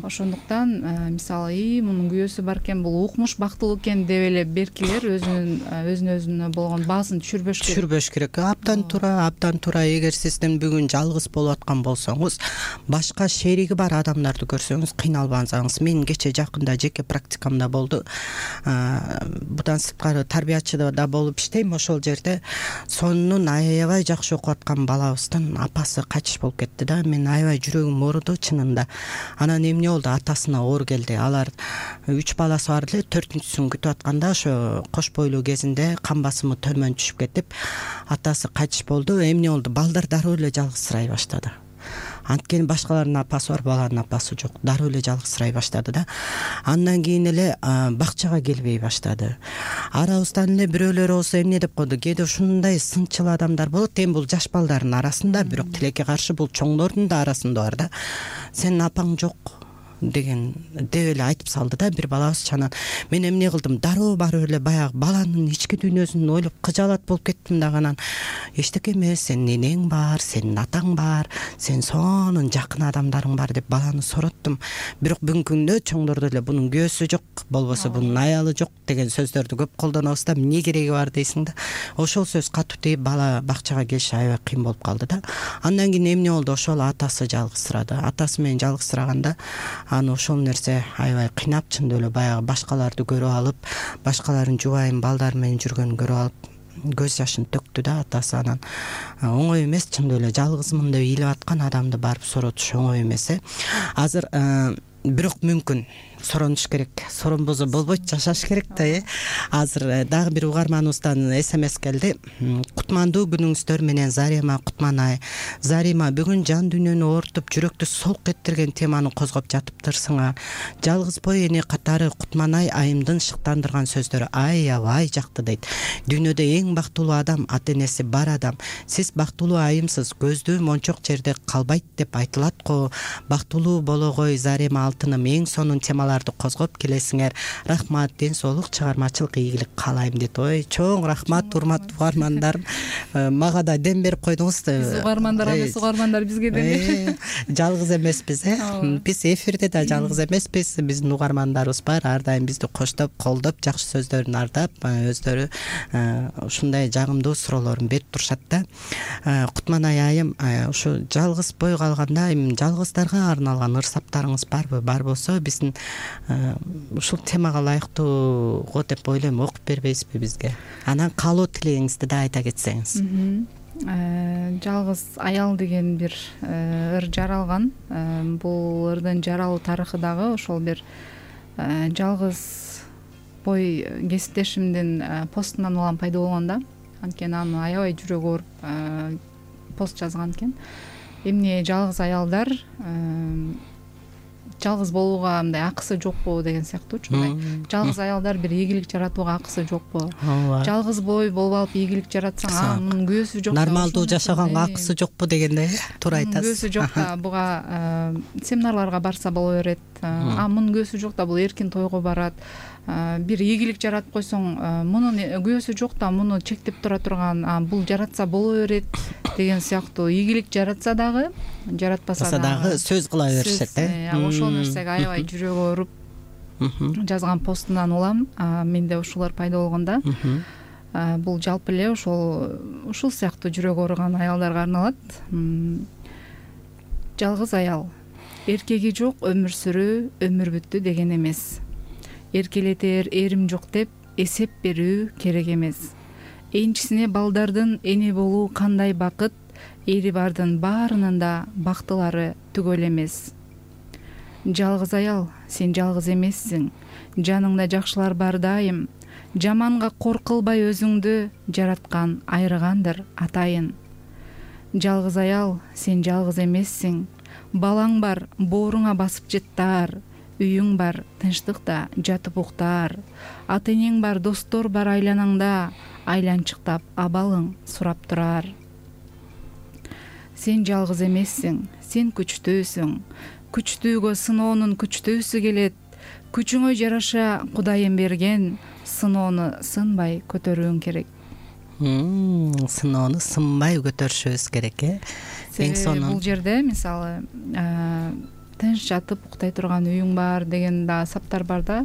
Ошондуктан мисалы, и мунун күйөөсү бар экен, бул укмуш бактылуу экен деп эле беркилер өзүнүн өзүнө өзүнө болгон баасын түшүрбөш керек. Түшүрбөш керек. Абдан туура, абдан туура. Эгер сиздин бүгүн жалгыз болуп аткан болсоңуз, башка шериги бар адамдарды көрсөңүз кыйналбаңыз. Мен кечээ жакында жеке практикамда болду. Будан сырткары тарбиячыда да болуп иштейм. Ошол жерде сонун аябай жакшы окуп аткан балабыздын апасы кайтыш болуп кетти да. Мен аябай жүрөгүм ооруду чынында. Анан эмне болду? Атасына оор келди. Алар үч баласы бар эле, төртүнчүсүн күтүп атканда ошо кош бойлуу кезинде кан басымы төмөн түшүп кетип, атасы кайтыш болду. Эмне болду? Балдар дароо эле жалгызсырай баштады. Анткени башкалардын апасы бар, баланын апасы жок. Дароо эле жалгызсырай баштады да. Андан кийин эле бакчага келбей баштады. Арабыздан эле бирөөлөр болсо эмне деп койду? Кээде ушундай сынчыл адамдар болот. Эми бул жаш балдардын арасында, бирок тилекке каршы бул чоңдордун да арасында бар да. Сенин апаң жок деген деп эле айтып салды да бир балабыз. Чанан мен эмне кылдым? Дароо барып эле баягы баланын ички дүйнөсүн ойлоп кыжаалат болуп кеттим да. Анан эчтеке эмес, сенин энең бар, сенин атаң бар, сен сонун жакын адамдарың бар деп баланы сороттум. Бирок бүгүнкү күндө чоңдордо эле бунун күйөөсү жок, болбосо бунун аялы жок деген сөздөрдү көп колдонобуз да. Эмне кереги бар дейсиң да. Ошол сөз катуу тийип бала бакчага келиш аябай кыйын болуп калды да. Андан кийин эмне болду? Ошол атасы жалгызсырады. Атасы менен жалгызсыраганда аны ошол нерсе аябай кыйнап, чындап эле баягы башкаларды көрүп алып, башкалардын жубайын балдар менен жүргөнүн көрүп алып көз жашын төктү да атасы. Анан оңой эмес, чындап эле жалгызмын деп ыйлап аткан адамды барып соротуш оңой эмес. Э азыр бирок мүмкүн соронуш керек. Соронбосо болбойт, жашаш керек да. Э азыр дагы бир угарманыбыздан смс келди. Кутмандуу күнүңүздөр менен Зарима Кутманай. Зарима, бүгүн жан дүйнөнү оорутуп, жүрөктү солк эттирген теманы козгоп жатыптырсыңар. Жалгыз бой эне катары Кутманай айымдын шыктандырган сөздөрү аябай жакты дейт. Дүйнөдө эң бактылуу адам ата энеси бар адам. Сиз бактылуу айымсыз, көздүү мончок жерде калбайт деп айтылат го. Бактылуу болгой Зарима алтыным, эң сонун темалар козгоп келесиңер. Рахмат, ден соолук, чыгармачылык ийгилик каалайм дейт. Ой, чоң рахмат, урматтуу угармандарым. Мага да дем берип койдуңуз. Биз угармандар, эмес угармандар бизге дем берип. Жалгыз эмеспиз, э. Биз эфирде да жалгыз эмеспиз. Биздин угармандарыбыз бар. Ар дайым бизди коштоп, колдоп, жакшы сөздөрүн ардап, өздөрү ушундай жагымдуу суроолорун берип турушат да. Кутманай айым, ушу жалгыз бой калганда эми жалгыздарга арналган ырсаптарыңыз барбы? Бар болсо биздин ушул темага ылайыктуу деп ойлойм, окуп бербейсизби бизге? Анан каалоо тилегиңизди да айта кетсеңиз. Жалгыз аял деген бир ыр жаралган. Бул ырдын жаралуу тарыхы дагы ошол бир жалгыз бой кесиптешимдин постунан улам пайда болгон да. Анткени аны аябай жүрөгү ооруп пост жазган экен. Эмне жалгыз аялдар жалгыз болууга мындай акысы жокпу деген сыяктуучу. Жалгыз аялдар бир ийгилик жаратууга акысы жокпу? Жалгыз бой болуп алып ийгилик жаратсаң, анын күйөөсү жок. Нормалдуу жашаганга акысы жокпу дегенде туура айтасыз. Күйөөсү жок да, буга семинарларга барса боло берет. А мунун күйөөсү жок да, бул эркин тойго барат. Бир ийгилик жаратып койсоң, мунун күйөөсү жок да, муну чектеп тура турган, бул жаратса боло берет деген сыяктуу. Ийгилик жаратса дагы, жаратпаса дагы сөз кыла беришет, э. Ошол нерсеге аябай жүрөгү ооруп жазган постунан улам менде ушулар пайда болгондо. Бул жалпы эле ошол ушул сыяктуу жүрөгү ооруган аялдарга арналат. Жалгыз аял. Эркеги жок өмүр сүрүү өмүр бүттү деген эмес. Эркелетер эрим жок деп эсеп берүү керек эмес. Энчисине балдардын эне болуу кандай бакыт, эри бардын баарынын да бактылары түгөл эмес. Жалгыз аял, сен жалгыз эмессиң. Жаныңда жакшылар бар дайым. Жаманга кор кылбай өзүңдү жараткан айрыгандыр атайын. Жалгыз аял, сен жалгыз эмессиң. Балаң бар, бооруңа басып жеттаар. Үйүң бар, тынчтыкта жатып уктаар. Ата-энең бар, достор бар айланаңда. Айланчыктап абалың сурап турар. Сен жалгыз эмессиң, сен күчтүүсүң. Күчтүүгө сыноонун күчтүүсү келет. Күчүңө жараша Кудайым берген, сыноону сынбай көтөрүүң керек. Сыноону сынбай көтөрүшүбүз керек, э? Эң сонун. Бул жерде мисалы тынч жатып уктай турган үйүң бар деген да саптар бар да.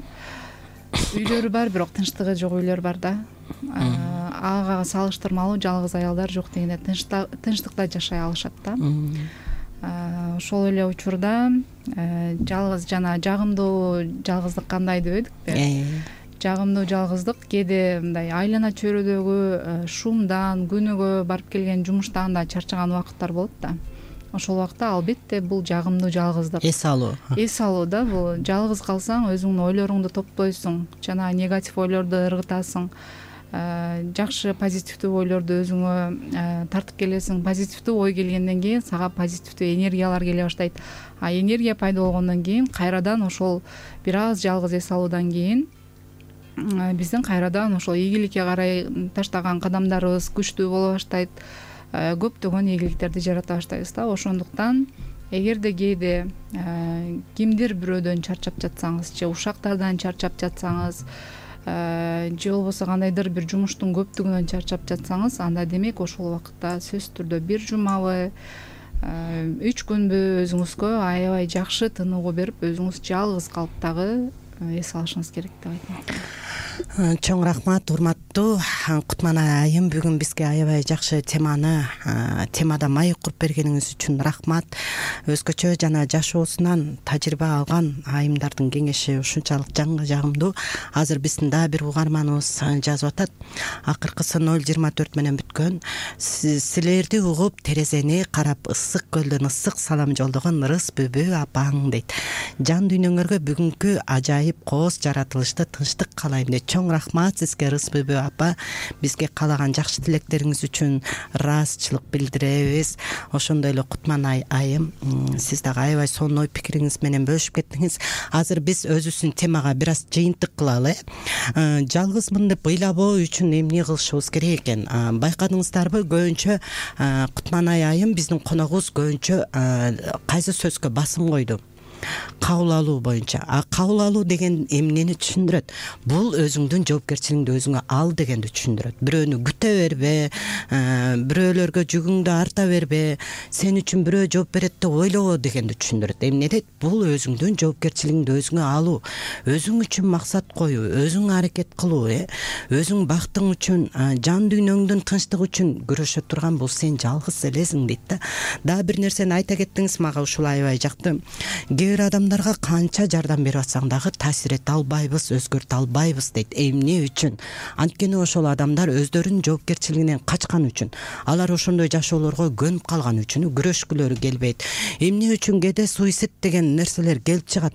Үйлөрү бар, бирок тынчтыгы жок үйлөр бар да. Ага салыштырмалуу жалгыз аялдар жок дегенде тынчтыкта жашай алышат да. Ошол эле учурда жалгыз жана жагымдуу жалгыздык кандай дебедикпи? Жагымдуу жалгыздык кээде мындай айлана чөйрөдөгү шумдан, күнүгө барып келген жумуштан да чарчаган убакыттар болот да. Ошол убакта албетте бул жагымдуу жалгыздык. Эс алуу. Эс алуу да, бул жалгыз калсаң өзүңдүн ойлоруңду топтойсуң, жана негатив ойлорду ыргытасың. Жакшы позитивдүү ойлорду өзүңө тартып келесиң. Позитивдүү ой келгенден кийин сага позитивдүү энергиялар келе баштайт. А энергия пайда болгондон кийин кайрадан ошол бир аз жалгыз эс алуудан кийин биздин кайрадан ошол ийгиликке карай таштаган кадамдарыбыз күчтүү боло баштайт. Көптөгөн ийгиликтерди жарата баштайбыз да. Ошондуктан эгерде кээде кимдир бирөөдөн чарчап жатсаңыз, же ушактардан чарчап жатсаңыз, же болбосо кандайдыр бир жумуштун көптүгүнөн чарчап жатсаңыз, анда демек ошол убакытта сөзсүз түрдө бир жумабы, үч күнбү өзүңүзгө аябай жакшы тыныгуу берип, өзүңүз жалгыз калып дагы эс алышыңыз керек деп айтмак. Чоң рахмат, урматтуу Кутманай айым, бүгүн бизге аябай жакшы теманы, темада маек куруп бергениңиз үчүн рахмат. Өзгөчө жана жашоосунан тажрыйба алган айымдардын кеңеши ушунчалык жанга жагымдуу. Азыр биздин дагы бир угарманыбыз жазып атат. Акыркысы ноль жыйырма төрт менен бүткөн. Силерди угуп терезени карап ысык көлдөн ысык салам жолдогон Ырыс бүбү апаң дейт. Жан дүйнөңөргө бүгүнкү ажайып коос жаратылышты тынчтык каалайм дейт. Чоң рахмат сизге Ырыс бүбү апа. Бизге каалаган жакшы тилектериңиз үчүн ыраазычылык билдиребиз. Ошондой эле Кутманай айым, сиз дагы аябай сонун ой пикириңиз менен бөлүшүп кеттиңиз. Азыр биз өзүбүздүн темага бир аз жыйынтык кылалы. Жалгызмын деп ыйлабоо үчүн эмне кылышыбыз керек экен? Байкадыңыздарбы, көбүнчө Кутманай айым биздин коногубуз көбүнчө кайсы сөзгө басым койду? Кабыл алуу боюнча. А кабыл алуу деген эмнени түшүндүрөт? Бул өзүңдүн жоопкерчилигиңди өзүңө ал дегенди түшүндүрөт. Бирөөнү күтө бербе, бирөөлөргө жүгүңдү арта бербе, сен үчүн бирөө жооп берет деп ойлобо дегенди түшүндүрөт. Эмне дейт? Бул өзүңдүн жоопкерчилигиңди өзүңө алуу, өзүң үчүн максат коюу, өзүң аракет кылуу, э? Өзүң бактың үчүн, жан дүйнөңдүн тынчтыгы үчүн күрөшө турган бул сен жалгыз элесиң дейт да. Дагы бир нерсени айта кеттиңиз, мага ушул аябай жакты. Бир адамдарга канча жардам берип атсаң дагы таасир эте албайбыз, өзгөртө албайбыз дейт. Эмне үчүн? Анткени ошол адамдар өздөрүнүн жоопкерчилигинен качкан үчүн, алар ошондой жашоолорго көнүп калган үчүн күрөшкүлөрү келбейт. Эмне үчүн кээде суицид деген нерселер келип чыгат?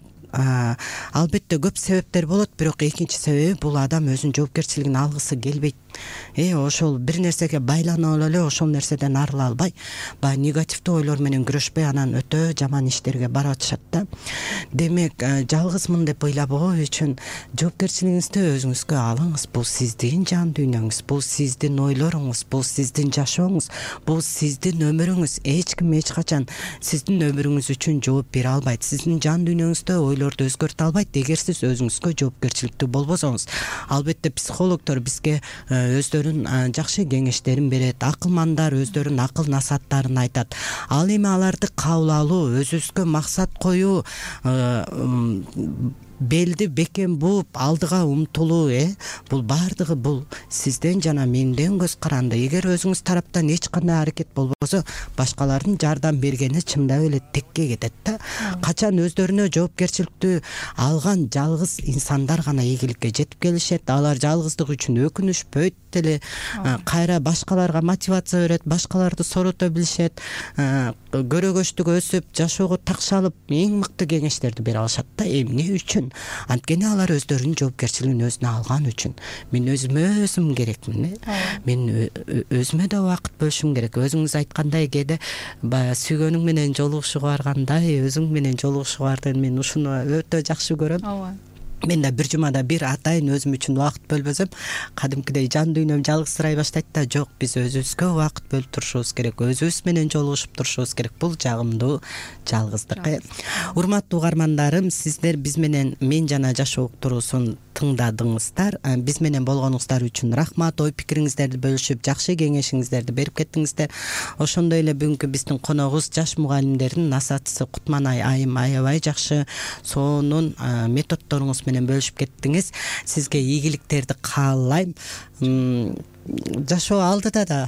Албетте көп себептер болот, бирок экинчи себеби бул адам өзүнүн жоопкерчилигин алгысы келбейт. Э, ошол бир нерсеге байланып эле ошол нерседен арыла албай, баягы негативдүү ойлор менен күрөшпөй анан өтө жаман иштерге барып атышат да. Демек, жалгызмын деп ыйлабоо үчүн жоопкерчилигиңизди өзүңүзгө алыңыз. Бул сиздин жан дүйнөңүз, бул сиздин ойлоруңуз, бул сиздин жашооңуз, бул сиздин өмүрүңүз. Эч ким эч качан сиздин өмүрүңүз үчүн жооп бере албайт. Сиздин жан дүйнөңүздө ойлорду өзгөртө албайт эгер сиз өзүңүзгө жоопкерчиликтүү болбосоңуз. Албетте психологдор бизге өздөрүнүн жакшы кеңештерин берет, акылмандар өздөрүнүн акыл насааттарын айтат. Ал эми аларды кабыл алуу, өзүбүзгө максат коюу, белди бекем бууп алдыга умтулуу э бул баардыгы бул сизден жана менден көз каранды. Эгер өзүңүз тараптан эч кандай аракет болбосо, башкалардын жардам бергени чындап эле текке кетет да. Качан өздөрүнө жоопкерчиликтүү алган жалгыз инсандар гана ийгиликке жетип келишет. Алар жалгыздык үчүн өкүнүшпөйт деле, кайра башкаларга мотивация берет, башкаларды сорото билишет, көрөгөчтүк өсүп, жашоого такшалып эң мыкты кеңештерди бере алышат да. Эмне үчүн? Анткени алар өздөрүнүн жоопкерчилигин өзүнө алган үчүн. Мен өзүмө өзүм керекмин э мен өзүмө да убакыт бөлүшүм керек. Өзүңүз айткандай, кээде баягы сүйгөнүң менен жолугушууга баргандай, өзүң менен жолугушууга барды. Мен ушуну өтө жакшы көрөм. Ооба. Мен да бир жумада бир атайын өзүм үчүн убакыт бөлбөсөм, кадимкидей жан дүйнөм жалгызсырай баштайт да. Жок, биз өзүбүзгө убакыт бөлүп турушубуз керек, өзүбүз менен жолугушуп турушубуз керек. Бул жагымдуу жалгыздык. Урматтуу угармандарым, сиздер биз менен Мен жана жашоо уктуруусун тыңдадыңыздар. Биз менен болгонуңуздар үчүн рахмат. Ой пикириңиздерди бөлүшүп, жакшы кеңешиңиздерди берип кеттиңиздер. Ошондой эле бүгүнкү биздин коногубуз жаш мугалимдердин насаатчысы Кутманай айым аябай жакшы сонун методдоруңуз менен бөлүшүп кеттиңиз. Сизге ийгиликтерди каалайм. Жашоо алдыда да.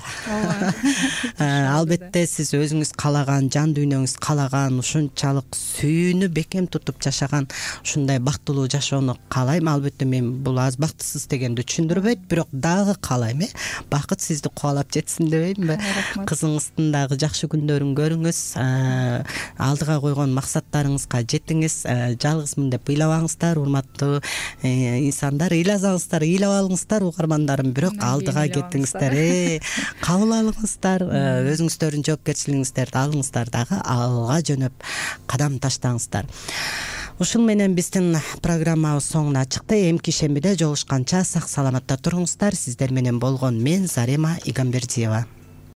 Албетте сиз өзүңүз калаган, жан дүйнөңүз калаган, ушунчалык сүйүүнү бекем тутуп жашаган ушундай бактылуу жашоону каалайм. Албетте мен бул аз бактысыз дегенди түшүндүрбөйт, бирок дагы каалайм э бакыт сизди кубалап жетсин дебеймби? Кызыңыздын дагы жакшы күндөрүн көрүңүз, алдыга койгон максаттарыңызга жетиңиз. Жалгызмын деп ыйлабаңыздар, урматтуу инсандар. Ыйласаңыздар, ыйлап алыңыздар угармандарым, бирок алдыга кеттиңиздер, э кабыл алыңыздар, өзүңүздөрдүн жоопкерчилигиңиздерди алыңыздар, дагы алга жөнөп кадам таштаңыздар. Ушун менен биздин программабыз соңуна чыкты. Эмки шембиде жолугушканча сак саламатта туруңуздар. Сиздер менен болгон мен Зарема Игамбердиева.